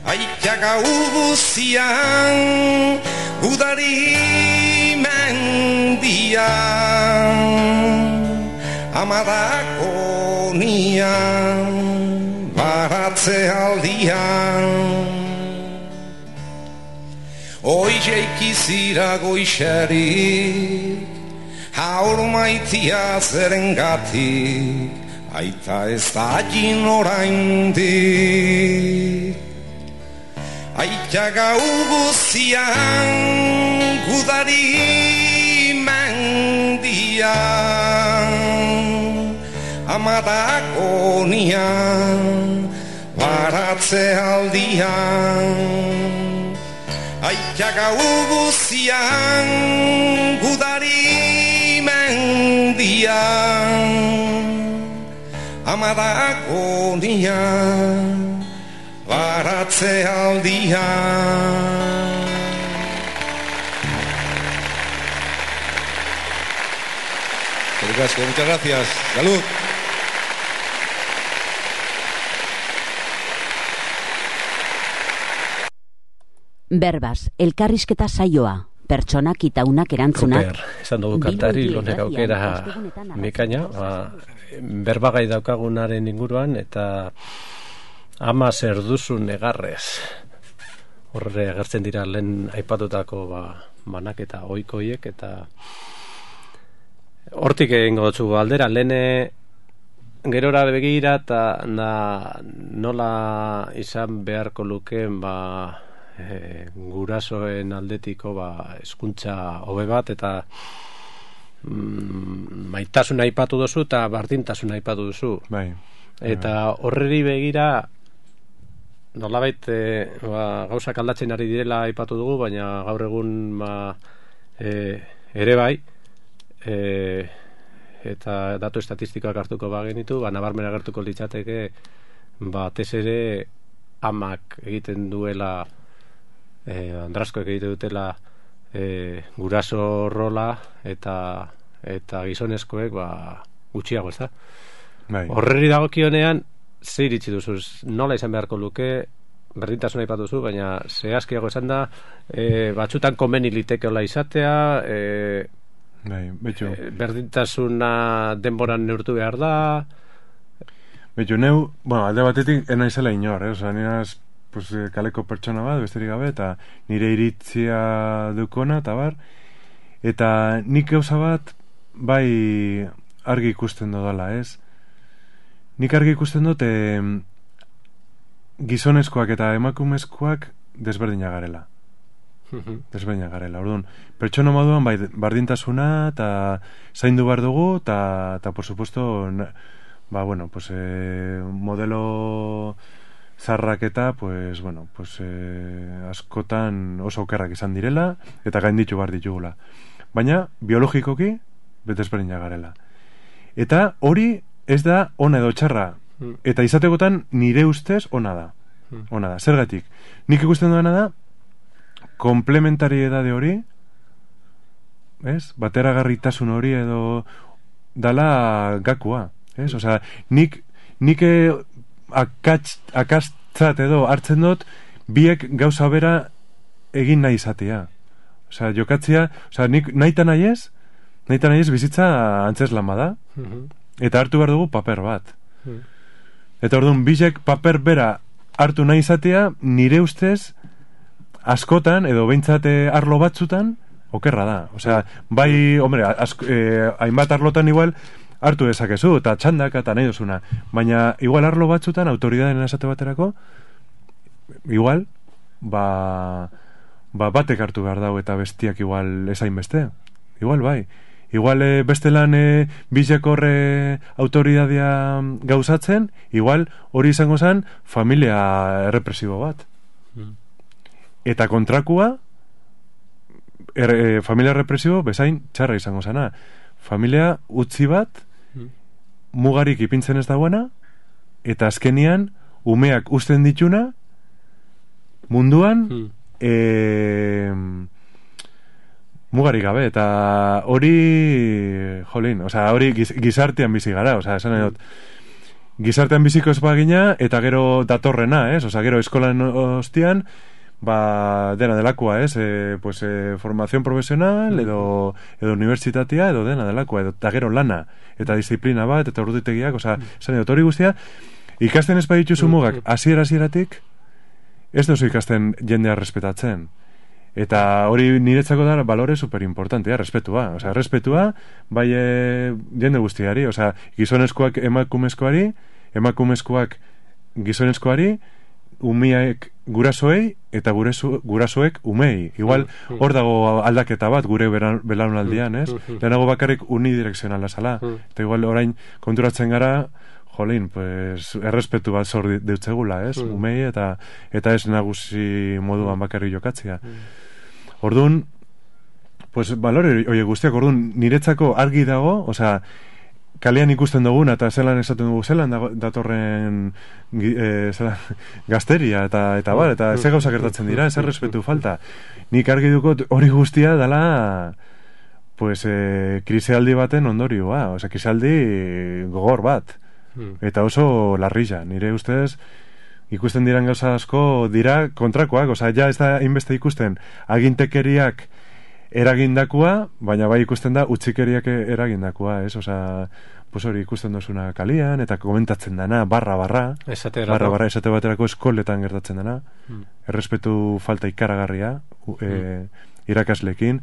Aita gau guzian, gudari mendian, amadako nian, baratze aldian. Oizeik izira goixerik, haur maitia zerengatik, aita ez da jin oraindik. Aita gau guzian, gudari mendian, amadako nian, baratze aldian. Aita gau guzian, gudari mendian, amadako nian, baratze aldian. Muchas gracias. Salud. Berbaz, elkarrizketa saioa, pertsonak itaunak erantzunak. Super, esan dugu kantari, lonek aukera mekaina, ba, berbagai daukagunaren inguruan, eta ama zer duzu negarrez. Horre agertzen dira lehen aipatutako ba, banaketa oikoiek, eta hortik egingo dutzu aldera, lehen gerora begira, eta na, nola izan beharko lukeen, ba, E, gurasoen aldetiko ba, eskuntza hobe bat eta mm, maitasuna aipatu duzu eta bardintasuna aipatu duzu. Bai. Eta horreri begira nolabait e, ba, gauzak aldatzen ari direla aipatu dugu, baina gaur egun ba, e, ere bai e, eta datu estatistikoak hartuko bagenitu, ba, nabarmen agertuko litzateke batez ere amak egiten duela e, andraskoek egiten dutela e, guraso rola eta eta gizonezkoek ba, gutxiago, ez da? Bai. Horreri dagokionean ze iritsi duzu, nola izan beharko luke, berdintasuna aipatu duzu, baina zehazkiago esan da, e, batzutan komeni litekeola izatea, e, bai, betxo. e, berdintasuna denboran neurtu behar da. Betxo, neu, bueno, alde batetik ena izela inor, eh? Osa, niraz, pues, kaleko pertsona bat, besterik gabe, eta nire iritzia dukona, eta bar, eta nik gauza bat, bai, argi ikusten dodala, ez? Nik argi ikusten dut e, gizonezkoak eta emakumezkoak desberdina garela. Desberdina garela. Orduan, pertsona moduan bai, bardintasuna eta zaindu behar dugu eta, eta por supuesto na, ba, bueno, pues, e, modelo zarrak eta pues, bueno, pues, e, askotan oso okerrak izan direla eta gainditu behar ditugula. Baina, biologikoki desberdina garela. Eta hori ez da ona edo txarra. Mm. Eta izategotan nire ustez ona da. Mm. Ona da. Zergatik? Nik ikusten duena da komplementariedade hori, ez? Bateragarritasun hori edo dala gakua, ez? Osea, nik nik akatz, akastzat edo hartzen dut biek gauza bera egin nahi izatea. Osea, jokatzea, osea, nik naita nahi ez, naita nahi ez bizitza antzeslan bada. Mm-hmm. Eta hartu behar dugu paper bat. Hmm. Eta orduan, bizek paper bera hartu nahi izatea, nire ustez, askotan, edo behintzate arlo batzutan, okerra da. Osea, bai, hombre, asko, eh, hainbat arlotan igual, hartu dezakezu, eta txandak, eta nahi duzuna. Baina, igual arlo batzutan, autoridadeen esate baterako, igual, ba, ba batek hartu behar dago, eta bestiak igual ezain beste. Igual, bai. Igual e, bestelan e, bizek horre autoridadea gauzatzen, igual hori izango zen familia errepresibo bat. Mm. Eta kontrakua er, e, familia errepresibo bezain txarra izango zena. Familia utzi bat mm. mugarik ipintzen ez dagoena eta azkenian umeak uzten dituna munduan mm. e, mugarik gabe, eta hori jolin, osea, hori giz, gizartean bizi gara, osea, esan edot gizartean biziko ez bagina, eta gero datorrena, ez, osea, gero eskolan ostian, ba, dena delakoa, ez, e, pues, e, formación profesional, edo, edo unibertsitatea, edo dena delakoa, edo, eta gero lana, eta disiplina bat, eta orditegiak, osea, esan edot, hori guztia, ikasten ez badituzu mugak, hasiera hasieratik, ez dozu ikasten jendea respetatzen. Eta hori niretzako da balore superimportantea, respetua. Osea, respetua bai e, jende guztiari, osea, gizonezkoak emakumezkoari, emakumezkoak gizonezkoari, umiaek gurasoei eta gurezu, gurasoek umei. Igual hor dago aldaketa bat gure belaunaldian, ez? Lehenago bakarrik unidirekzionala zala. Eta igual orain konturatzen gara, jolin, pues, errespetu bat zor deutzegula, ez? Umei eta eta ez nagusi moduan bakarrik jokatzea. Orduan, pues, balore oie guztiak, orduan, niretzako argi dago, osea, kalean ikusten duguna eta zelan esaten dugu zelan datorren e, zelan, gazteria eta, eta bar, eta ze gauza gertatzen dira, ez errespetu falta. Nik argi dukot hori guztia dela pues, e, krisealdi baten ondorioa, osea, krisealdi gogor bat. Eta oso larrilla, nire ustez ikusten diran gauza asko dira kontrakoak, osea, ja ez da inbeste ikusten agintekeriak eragindakoa, baina bai ikusten da utzikeriak eragindakoa, ez? Osea, pues hori ikusten dozuna kalian, eta komentatzen dana, barra, barra, barra, barra, esate baterako eskoletan gertatzen dana, hmm. errespetu falta ikaragarria, hmm. e, irakaslekin,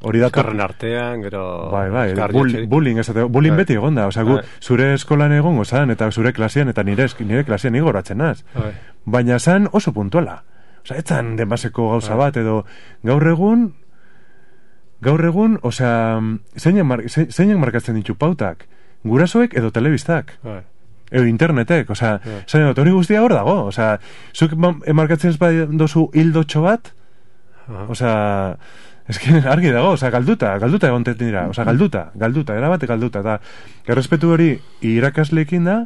hori da... Eskarren artean, gero... Bai, bai, bullying, bullying, esate, bullying beti egon da, osea, gu, zure eskolan egongo zan, eta zure klasean, eta nire, nire klasean igoratzen naz, baina zan oso puntuala, osea, etzan denbaseko gauza bai. Bat, edo gaur egun, gaur egun, osea, zeinak mar, ze, markatzen ditu pautak, gurasoek edo telebistak. Bai. edo internetek, osea, Yeah. zain dut, hori guztia hor dago, osea, zuk emarkatzen ez bai dozu hildotxo bat, Aha. osea, ez que argi dago, osea, galduta, galduta egontetan dira, osea, galduta, galduta, erabate galduta, eta errespetu hori irakasleekin da,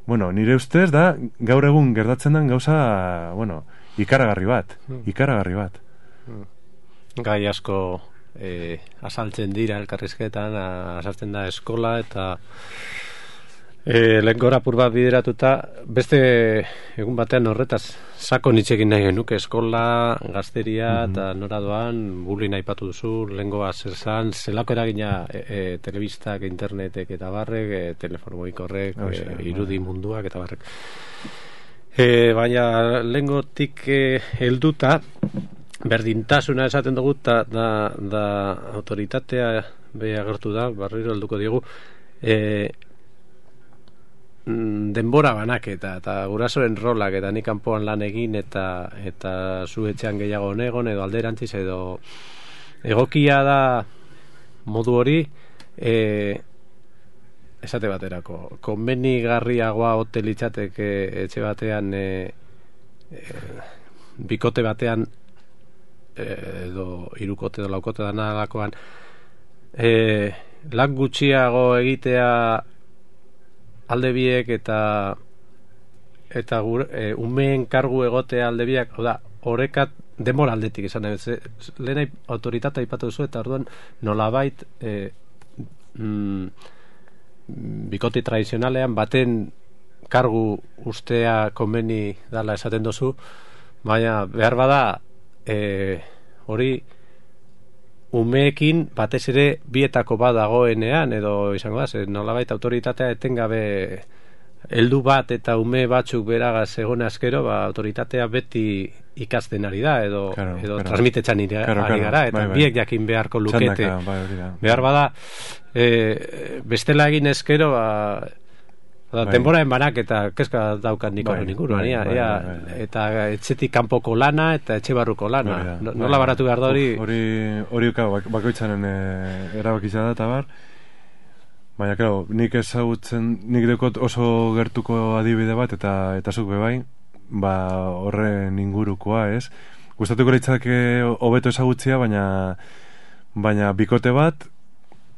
bueno, nire ustez da, gaur egun gertatzen den gauza, bueno, ikaragarri bat, ikaragarri bat. Gai asko eh, asaltzen dira elkarrizketan, a- asaltzen da eskola eta eh, lehen gora apur bat bideratuta, beste egun batean horretaz sako nitzekin nahi genuke eskola, gazteria eta nora doan, bullying aipatu duzu, lehengoa zer zan, zelako eragina e, e, telebistak, internetek eta barrek, e, telefono mugikorrek, Horixe, e, bai. irudi munduak eta barrek. E, baina lehengotik e, helduta, berdintasuna esaten dugu, ta, da, da autoritatea be agertu da, barriro helduko diegu, e, mm, denbora banaketa eta gurasoren rolak eta nik kanpoan lan egin eta eta zu etxean gehiago negon edo alderantziz edo egokia da modu hori e, esate baterako konbenigarriagoa ote litzateke etxe batean e, e, bikote batean edo hirukote edo laukote danalakoan e, lan gutxiago egitea alde biek eta eta gure, e, umeen kargu egotea alde biak, hau da, orekat denbora aldetik esan nahi, ze, lehen autoritatea aipatu duzu eta orduan nolabait e, mm, bikote tradizionalean baten kargu ustea konbeni dala esaten duzu, baina behar bada e, hori umeekin batez ere bietako bat dagoenean edo izango da, ze nolabait autoritatea etengabe heldu bat eta ume batzuk beragaz egon askero, ba, autoritatea beti ikasten ari da edo, Claro, edo claro. transmitetzen ari Claro, ari claro, gara eta bai, bai. biek jakin beharko lukete. Txandaka, bai, hori da. Behar bada e, bestela egin eskero ba, da, Bai. denboraen banak eta keska daukan nik Bai, horren inguruan, bai, ia, bai, ia, bai, bai. eta etxetik kanpoko lana eta etxe barruko lana. Hori da, No- bai, Nola bai. baratu behar da hori? Uf, Hori, hori uka, bak, bakoitzaren e, erabakitza da, eta bar. Baina, claro, nik ezagutzen, nik dekot oso gertuko adibide bat, eta eta zuk bebai, ba, horren ingurukoa, ez? Gustatuko litzake hobeto ezagutzia, baina baina bikote bat,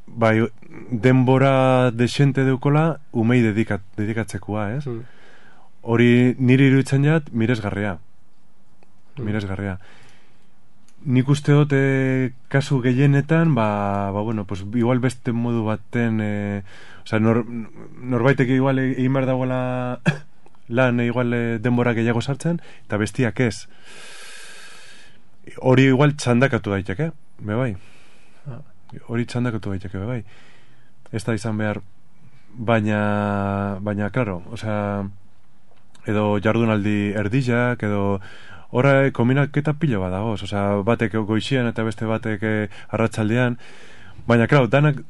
bai, denbora desente deukola, umei dedikat, dedikatzekoa, ez? Mm. Hori niri iruditzen jat, miresgarria. Mm. Miresgarria. Nik uste dut e, kasu gehienetan, ba, ba, bueno, pues, igual beste modu baten, e, osea, nor, norbaitek igual egin behar dagoela lan, e, igual e, denbora gehiago sartzen, eta bestiak ez. Hori igual txandakatu daiteke, be bai. Hori txandakatu daiteke, be bai. Ez da izan behar, baina, baina, claro, osea, edo jardunaldi erdillak, edo horra kombinaketa pilo bat dagoz, osea, batek goixian eta beste batek eh, arratsaldean, baina, claro, danak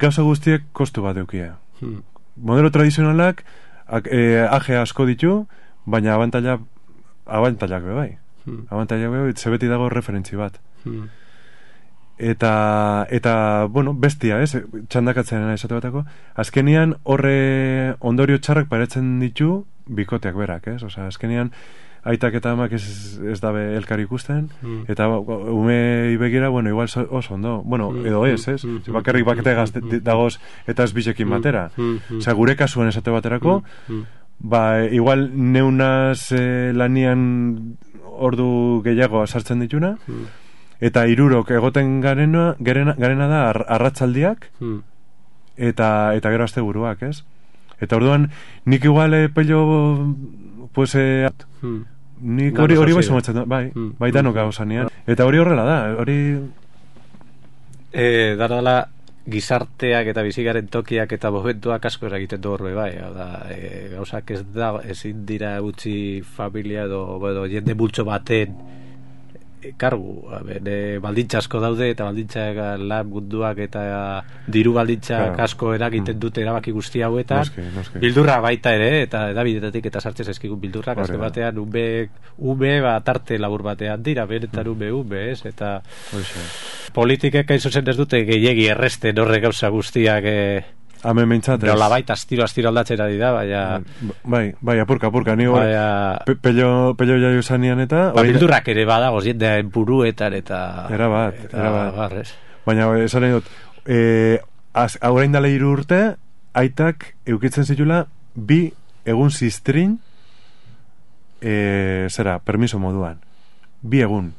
gauza guztiek kostu bat eukia. Hmm. Modelo tradizionalak ak, eh, aje asko ditu, baina abantaila abantailak be bai. Hmm. Abantailak be bai, ze beti dago referentzi bat. Hmm. Eta, eta, bueno, bestia, ez, txandakatzen esate batako, azkenian horre ondorio txarrak paretzen ditu bikoteak berak, ez, osea, azkenian aitak eta amak ez, ez dabe elkar ikusten, Mm. eta ume begira, bueno, igual so- oso ondo, bueno, Mm, edo ez, ez, mm, mm, bakarrik baketegaz mm, dagoz eta ez bisekin Mm, batera, mm, mm. osea, gure kasuan esate baterako, Mm, mm. ba, igual neunaz eh, lanian ordu gehiago sartzen dituna, Mm. eta hirurok egoten garena, garena, garena da ar, arratzaldiak, Mm. eta eta gero asteburuak, ez? Eta orduan nik igual eh, pello pues eh, Mm. nik Dano hori hori bai sozio. sumatzen da, bai, Mm. bai danok gauzanean. Eta hori horrela da, hori E, dara dela gizarteak eta bizigaren tokiak eta momentuak asko eragiten du horbe bai, hau da, e, gauzak ez da ezin dira utzi familia edo, edo jende multzo baten e, kargu, a ber, e, baldintza asko daude eta baldintzak lan munduak eta diru baldintzak Claro. asko eragiten dute erabaki guzti hauetan. Noski, noski. Bildurra baita ere, eta edabidetatik eta sartzen zaizkigun bildurrak, Hori azken da. batean ume, ume ba, tarte labur batean dira, benetan ume ume, ez, eta horixe. politikek hain zuzen ez dute gehiegi erresten horre gauza guztiak e, Hemen mintzat, ez. Nola baita astiro, astiro aldatzera dira, baina... Bai, bai, apurka, apurka, ni baina... pe, pello, pello jaio zanian eta... Ba, bildurrak ere badago, jende buruetan eta... Era bat, eta, era bat. Barrez. Baina, esan nahi dut, e, haurain dala hiru urte, aitak eukitzen zitula bi egun ziztrin, e, zera, permiso moduan. Bi egun.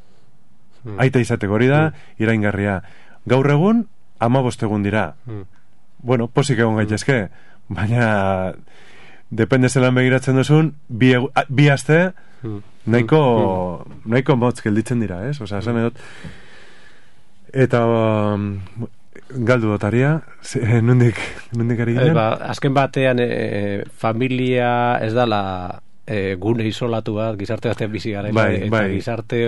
Hmm. Aita izateko hori da, hmm. iraingarria. Gaur egun, hamabost egun dira. Hmm. Bueno, posik egon gaitezke, baina depende zelan begiratzen duzun, bi, egu, a, bi aste hmm. nahiko, hmm. nahiko motz gelditzen dira, ez? Osa, esan edot. Eta um, galdu dotaria, e, nondik, nondik ari ginen? E, ba, azken batean, e, familia ez dala e, gune isolatu bat, gizarte batean bizi gara, bai, eta bai. gizarte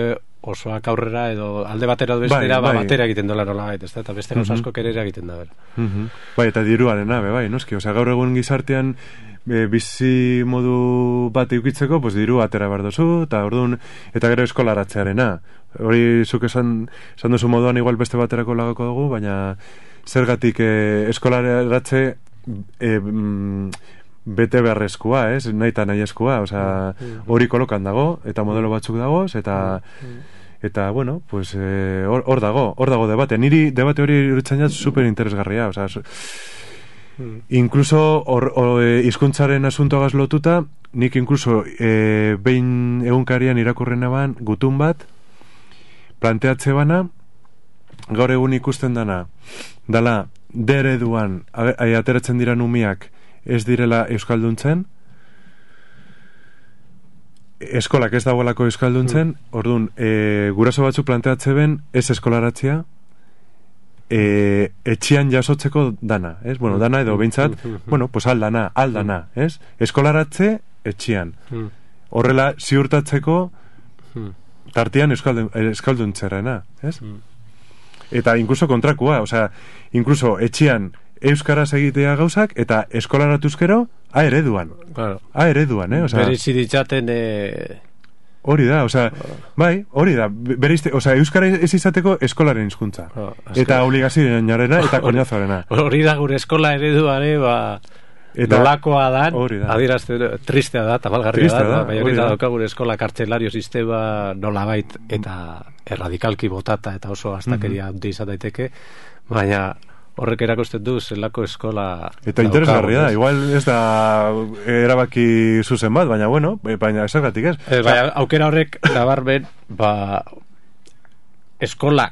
osoak aurrera edo alde batera edo bestera, bai, ba, bai. batera egiten dola nola gaita, eta beste gauz asko kerera egiten da. Uh -huh. Bai, eta diruaren abe, bai, noski, osea, gaur egun gizartean e, bizi modu bat eukitzeko, pues diru atera behar dozu, eta orduan, eta gero eskolaratzearena. Hori zuk esan, esan duzu moduan igual beste baterako lagako dugu, baina zergatik e, eskolaratze e, mm, bete beharrezkoa, ez? Nahi eta nahi eskua, osea, hori kolokan dago, eta modelo batzuk dagoz, eta eta, bueno, pues hor eh, dago, hor dago debate. Niri debate hori iruditzen jat super interesgarria, osea, su, mm. incluso or, or, e, hizkuntzaren asuntoagaz lotuta, nik incluso e, behin egunkarian irakurrena ban, gutun bat, planteatze bana, gaur egun ikusten dana, dala, dereduan, ateratzen dira numiak, ez direla euskalduntzen, eskolak ez dagoelako euskalduntzen, mm. orduan, e, guraso batzu planteatze ben, ez eskolaratzea, e, etxian jasotzeko dana, ez? Bueno, dana edo behintzat, bueno, pues aldana, aldana, ez? Eskolaratze etxian. Horrela, ziurtatzeko tartian euskalduntzearena, ez? Eta incluso kontrakua, osea, incluso etxian euskaraz egitea gauzak, eta eskolaratuzkero, a ereduan. Claro. A ereduan, eh? Osea, berizi ditzaten... Eh... Hori da, osea, bai, hori da, bereizte, osea, euskara ez izateko eskolaren hizkuntza. Oh, eta obligazioarena eta koñazoarena. Hori da gure eskola ereduare, ba... Eta nolakoa dan, adierazte, tristea da, tabalgarria da, da, baina hori da dauka gure eskola kartzelario sistema nolabait eta erradikalki botata eta oso astakeria handi izan daiteke, baina horrek erakusten du zelako eskola eta interesgarria da, igual ez da erabaki zuzen bat, baina bueno, baina zergatik ez. E, baina aukera horrek nabarmen, ba eskola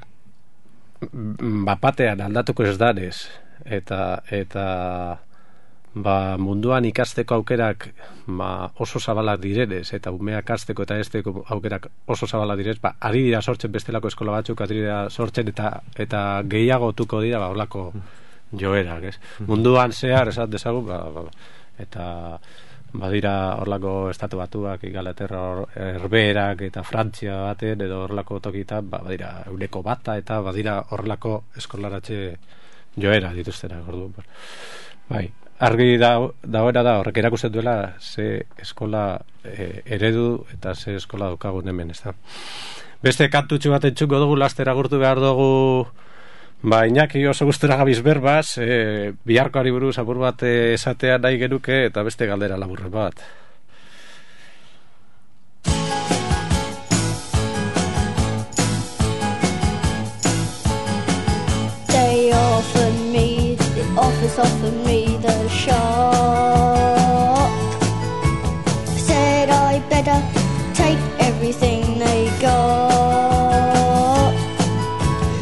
bapatean aldatuko ez danez eta eta ba, munduan ikasteko aukerak ba, oso zabalak direnez eta umeak hasteko eta esteko aukerak oso zabalak direz, ba, ari dira sortzen bestelako eskola batzuk, ari dira sortzen eta eta gehiago tuko dira ba, olako joerak, ez? Munduan zehar, esat dezagun, ba, ba, eta badira horlako estatu batuak, Ingalaterra, Herberak eta Frantzia baten, edo horlako tokitan, ba, badira euneko bata eta badira horlako eskolaratze joera dituztenak, orduan. Bai. Argi da, dagoena da, horrek erakusten duela ze eskola e, eredu eta ze eskola daukagun hemen, ez da. Beste kantutxu bat entxungo dugu, laster agurtu behar dugu, ba, Iñaki oso gustura gabiz berbaz, e, biharkoari buruz apur bat esatea nahi genuke, eta beste galdera laburren bat. They offered me, the office offered me the shop. Said I better take everything they got.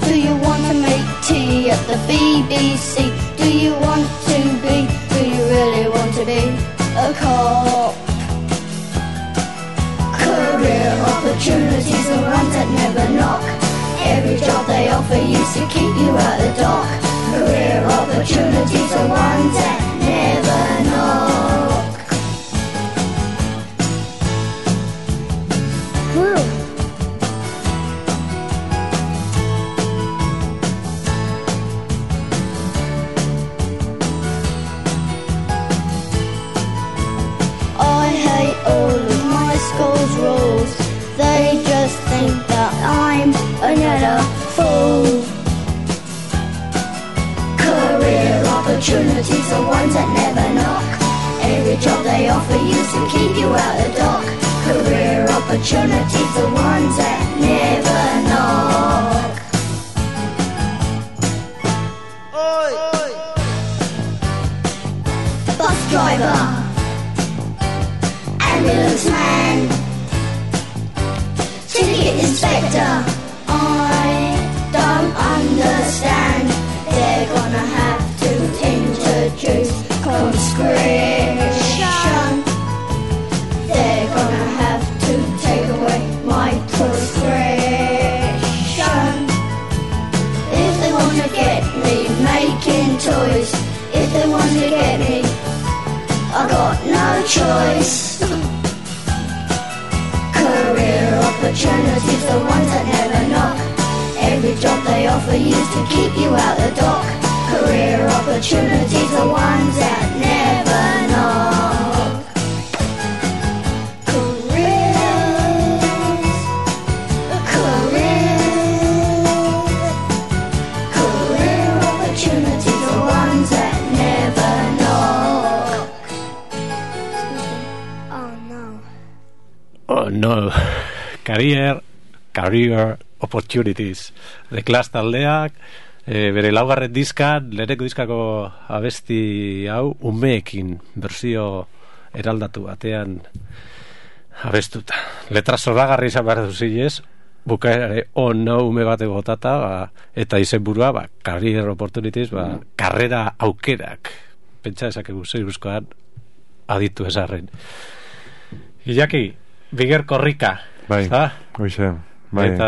Do you want to make tea at the B B C? Do you want to be, do you really want to be a cop? Career opportunities are ones that never knock. Every job they offer used to keep you at the dock. Career opportunities are ones that never knock. Woo. I hate all of my school's rules. They just think that I'm another fool. Career opportunities opportunities are ones that never knock. Every job they offer you to keep you out the dock. Career opportunities are ones that never knock. Oi, oi. Bus driver, ambulance man, ticket inspector. I don't understand. They're gonna have to introduce conscription. They're gonna have to take away my prescription. If they want to get me making toys, if they want to get me, I got no choice. Career opportunities, the ones that never knock. Every job they offer you to keep you out the dock. Career opportunities, the ones that never knock. Careers, careers, career opportunities, the ones that never knock. Oh no. Oh no. Career, career opportunities. The Clash taldeak, e, bere laugarren diskan, leheneko diskako abesti hau, umeekin, bersio eraldatu batean abestuta. Letra zoragarri izan behar duzilez, bukaerare, oh no, ume bate botata, ba, eta izenburua, ba, career opportunities, ba, karrera aukerak. Pentsa esakegu zeiruzkoan aditu esarren. Iñaki, Biger Korrika. Bai, hoxe. Bai, eta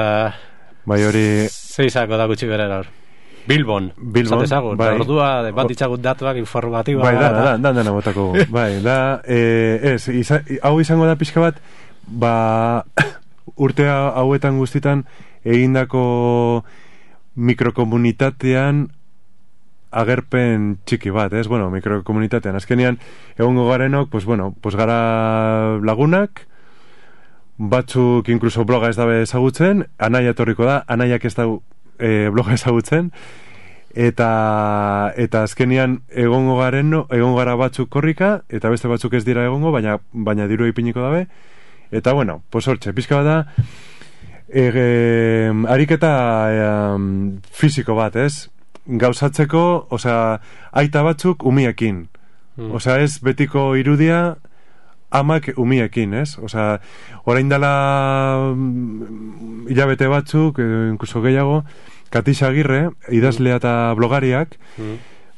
bai hori zeizako da gutxi berera hor. Bilbon, Bilbon, esatezagun, bai. Ordua, bat itxagut datuak informatiba. Bai, da, da, da, da, botako. Bai, da, eh, ez, iza, hau izango da pixka bat, ba, urte hauetan guztitan egindako mikrokomunitatean agerpen txiki bat, ez? Bueno, mikrokomunitatean. Azkenean, egongo garenok, pues bueno, pues gara lagunak, batzuk inkluso bloga ez dabe ezagutzen, anaia etorriko da, anaiak ez dau e, bloga ezagutzen, eta eta azkenean egongo garen, egongo gara batzuk korrika, eta beste batzuk ez dira egongo, baina baina diru ipiniko dabe, eta bueno, pues hortxe, pizka bat da, e, e, ariketa e, fisiko bat, ez? Gauzatzeko, osea, aita batzuk umiekin. Mm. Osea, ez betiko irudia amak umiekin, ez? Osea, orain dela mm, hilabete batzuk, eh, inkluso gehiago, Katisa Agirre, idazlea eta blogariak, mm.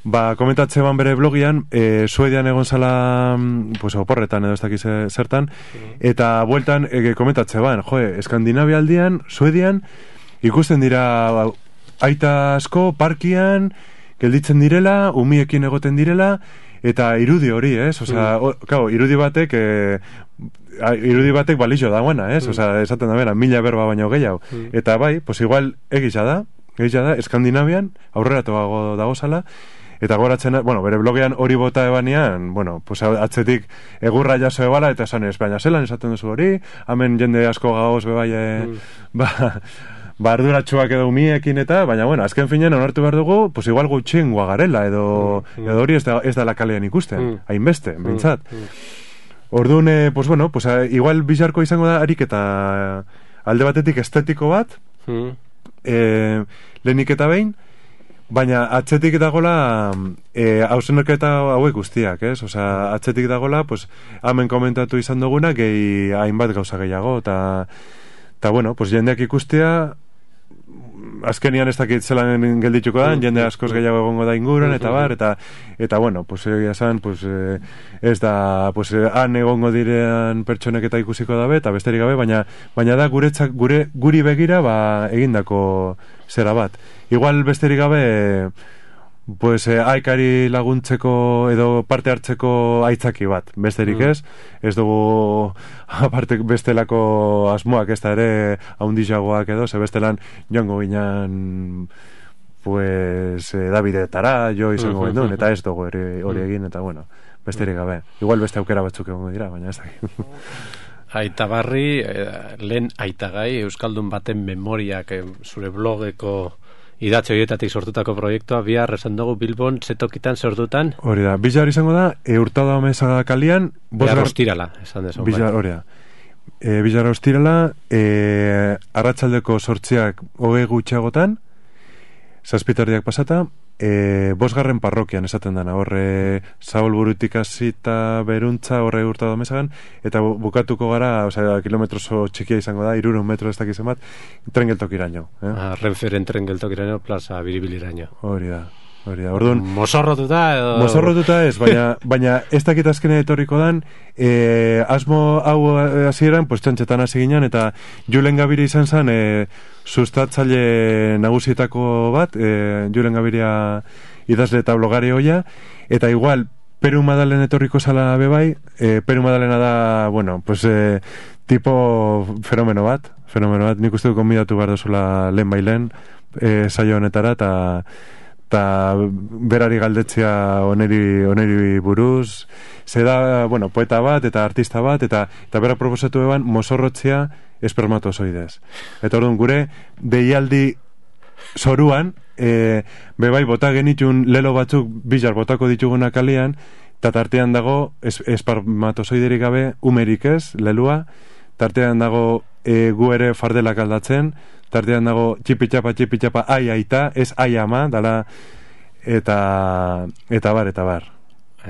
ba, komentatze ban bere blogian, e, Suedian egon zala, pues, oporretan edo ez dakiz zertan, mm. eta bueltan e, komentatze ban, joe, Eskandinavia aldian, Suedian, ikusten dira aita asko parkian gelditzen direla, umiekin egoten direla, eta irudi hori, ez? Osea, mm. o, claro, irudi batek e, irudi batek balixo dagoena, ez? Mm. Osea, esaten da bera, mila berba baino gehiago. Mm. Eta bai, pues igual egisa da, egisa da, Eskandinavian aurreratuago dago zala, eta goratzen, bueno, bere blogean hori bota ebanean, bueno, pues atzetik egurra jaso ebala, eta esan ez, baina zelan esaten duzu hori, hemen jende asko gaoz bebai, mm. ba, ba arduratsuak edo umiekin eta, baina bueno, azken finean onartu behar dugu, pues igual gutxingoa garela, edo, mm. edo hori ez da, ez da la kalean ikusten, mm. hainbeste, mm. bintzat. Mm. Orduan, eh, pues bueno, pues a, igual bizarko izango da ariketa alde batetik estetiko bat, mm. eh, lehenik eta behin, baina atzetik dagola eh, hausenoketa hauek guztiak, ez? Osea, atzetik dagola, pues, hemen komentatu izan duguna, gehi hainbat gauza gehiago, eta, eta bueno, pues jendeak ikustea, azkenian ez dakit zelan geldituko da, jende askoz gehiago egongo da inguruan, eta bar, eta, eta bueno, pues, egia esan, pues, eh, ez da, pues, eh, han egongo direan pertsonek eta ikusiko dabe, eta besterik gabe, baina, baina da guretzak, gure, guri begira, ba, egindako zera bat. Igual besterik gabe, pues, eh, aikari laguntzeko edo parte hartzeko aitzaki bat, besterik ez, ez dugu aparte bestelako asmoak ez da ere haundizagoak edo, ze bestelan joango ginen, pues, eh, Davidetara, jo izango uh-huh, gendun, eta ez dugu hori, hori egin, eta bueno, besterik gabe. Igual beste aukera batzuk egongo dira, baina ez da. Aita Barri, eh, lehen aitagai, Euskaldun baten memoriak, eh, zure blogeko idatzi horietatik sortutako proiektua, bihar esan dugu Bilbon zetokitan sortutan. Hori da, Bilar izango da, e, Hurtado Amezaga kalian... Bihar ostirala, esan dezu. Bilar, hori da. E, Bilar ostirala, e, arratsaldeko sortziak hogei gutxiagotan, zazpitardiak pasata, e, bosgarren parrokian esaten dana, horre Zabalburutik hasita Beruntza, horre Hurtado Amezagan, eta bukatuko gara, osea, kilometro oso txikia izango da, hirurehun metro ez dakizen bat, tren geltokiraino. Eh? Ah, Renferen tren geltokiraino, plaza Biribiliraino. Hori da. Hori da, orduan... Mozorrotuta edo... Mozorrotuta ez, baina, baina ez dakit azkene etorriko dan, e, asmo hau hasieran, pues txantxetan hasi ginen, eta Julen Gabiria izan zen, e, sustatzaile nagusietako bat, e, Julen Gabiria idazle eta blogari hoia, eta igual, Peru Madalen etorriko zala bebai, e, Peru Madalena da, bueno, pues, e, tipo fenomeno bat, fenomeno bat, nik uste du konbidatu behar dozula lehen bailen, e, saio honetara, eta... eta berari galdetzea oneri, oneri buruz, ze da, bueno, poeta bat eta artista bat, eta eta bera proposatu eban mozorrotzea espermatozoidez. Eta orduan gure deialdi zoruan, e, bebai bota genitun lelo batzuk Bilar botako dituguna kalian, eta tartean dago es, espermatozoiderik gabe umerik ez, lelua, tartean dago e, gu ere fardelak aldatzen, tartean dago txipitxapa, txipitxapa, ai aita, ez ai ama, dala, eta, eta bar, eta bar.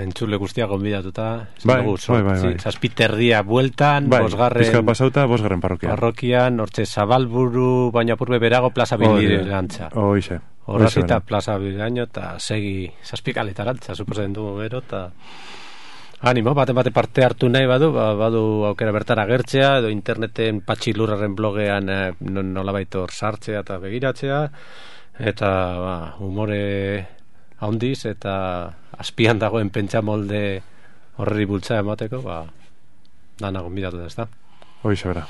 Entzule guztia gonbidatuta, bai, bai, bai, bai. Zazpiterdia bueltan, bai, bosgarren... Bizkal pasauta, bosgarren parrokian. Parrokian, hortze Zabalburu, baina purbe berago, plaza Bilirantza. Hoize. Horrazita, plaza Biliraino, eta segi zazpikaletara, suposen du, gero, eta... Animo, bate bate parte hartu nahi badu, ba, badu aukera bertara gertzea, edo interneten Patxilurraren blogean eh, nolabait hor sartzea eta begiratzea, eta ba, humore handiz eta azpian dagoen pentsa molde horri bultza emateko, ba, dana gonbidatu da, ez da? Hoize bera.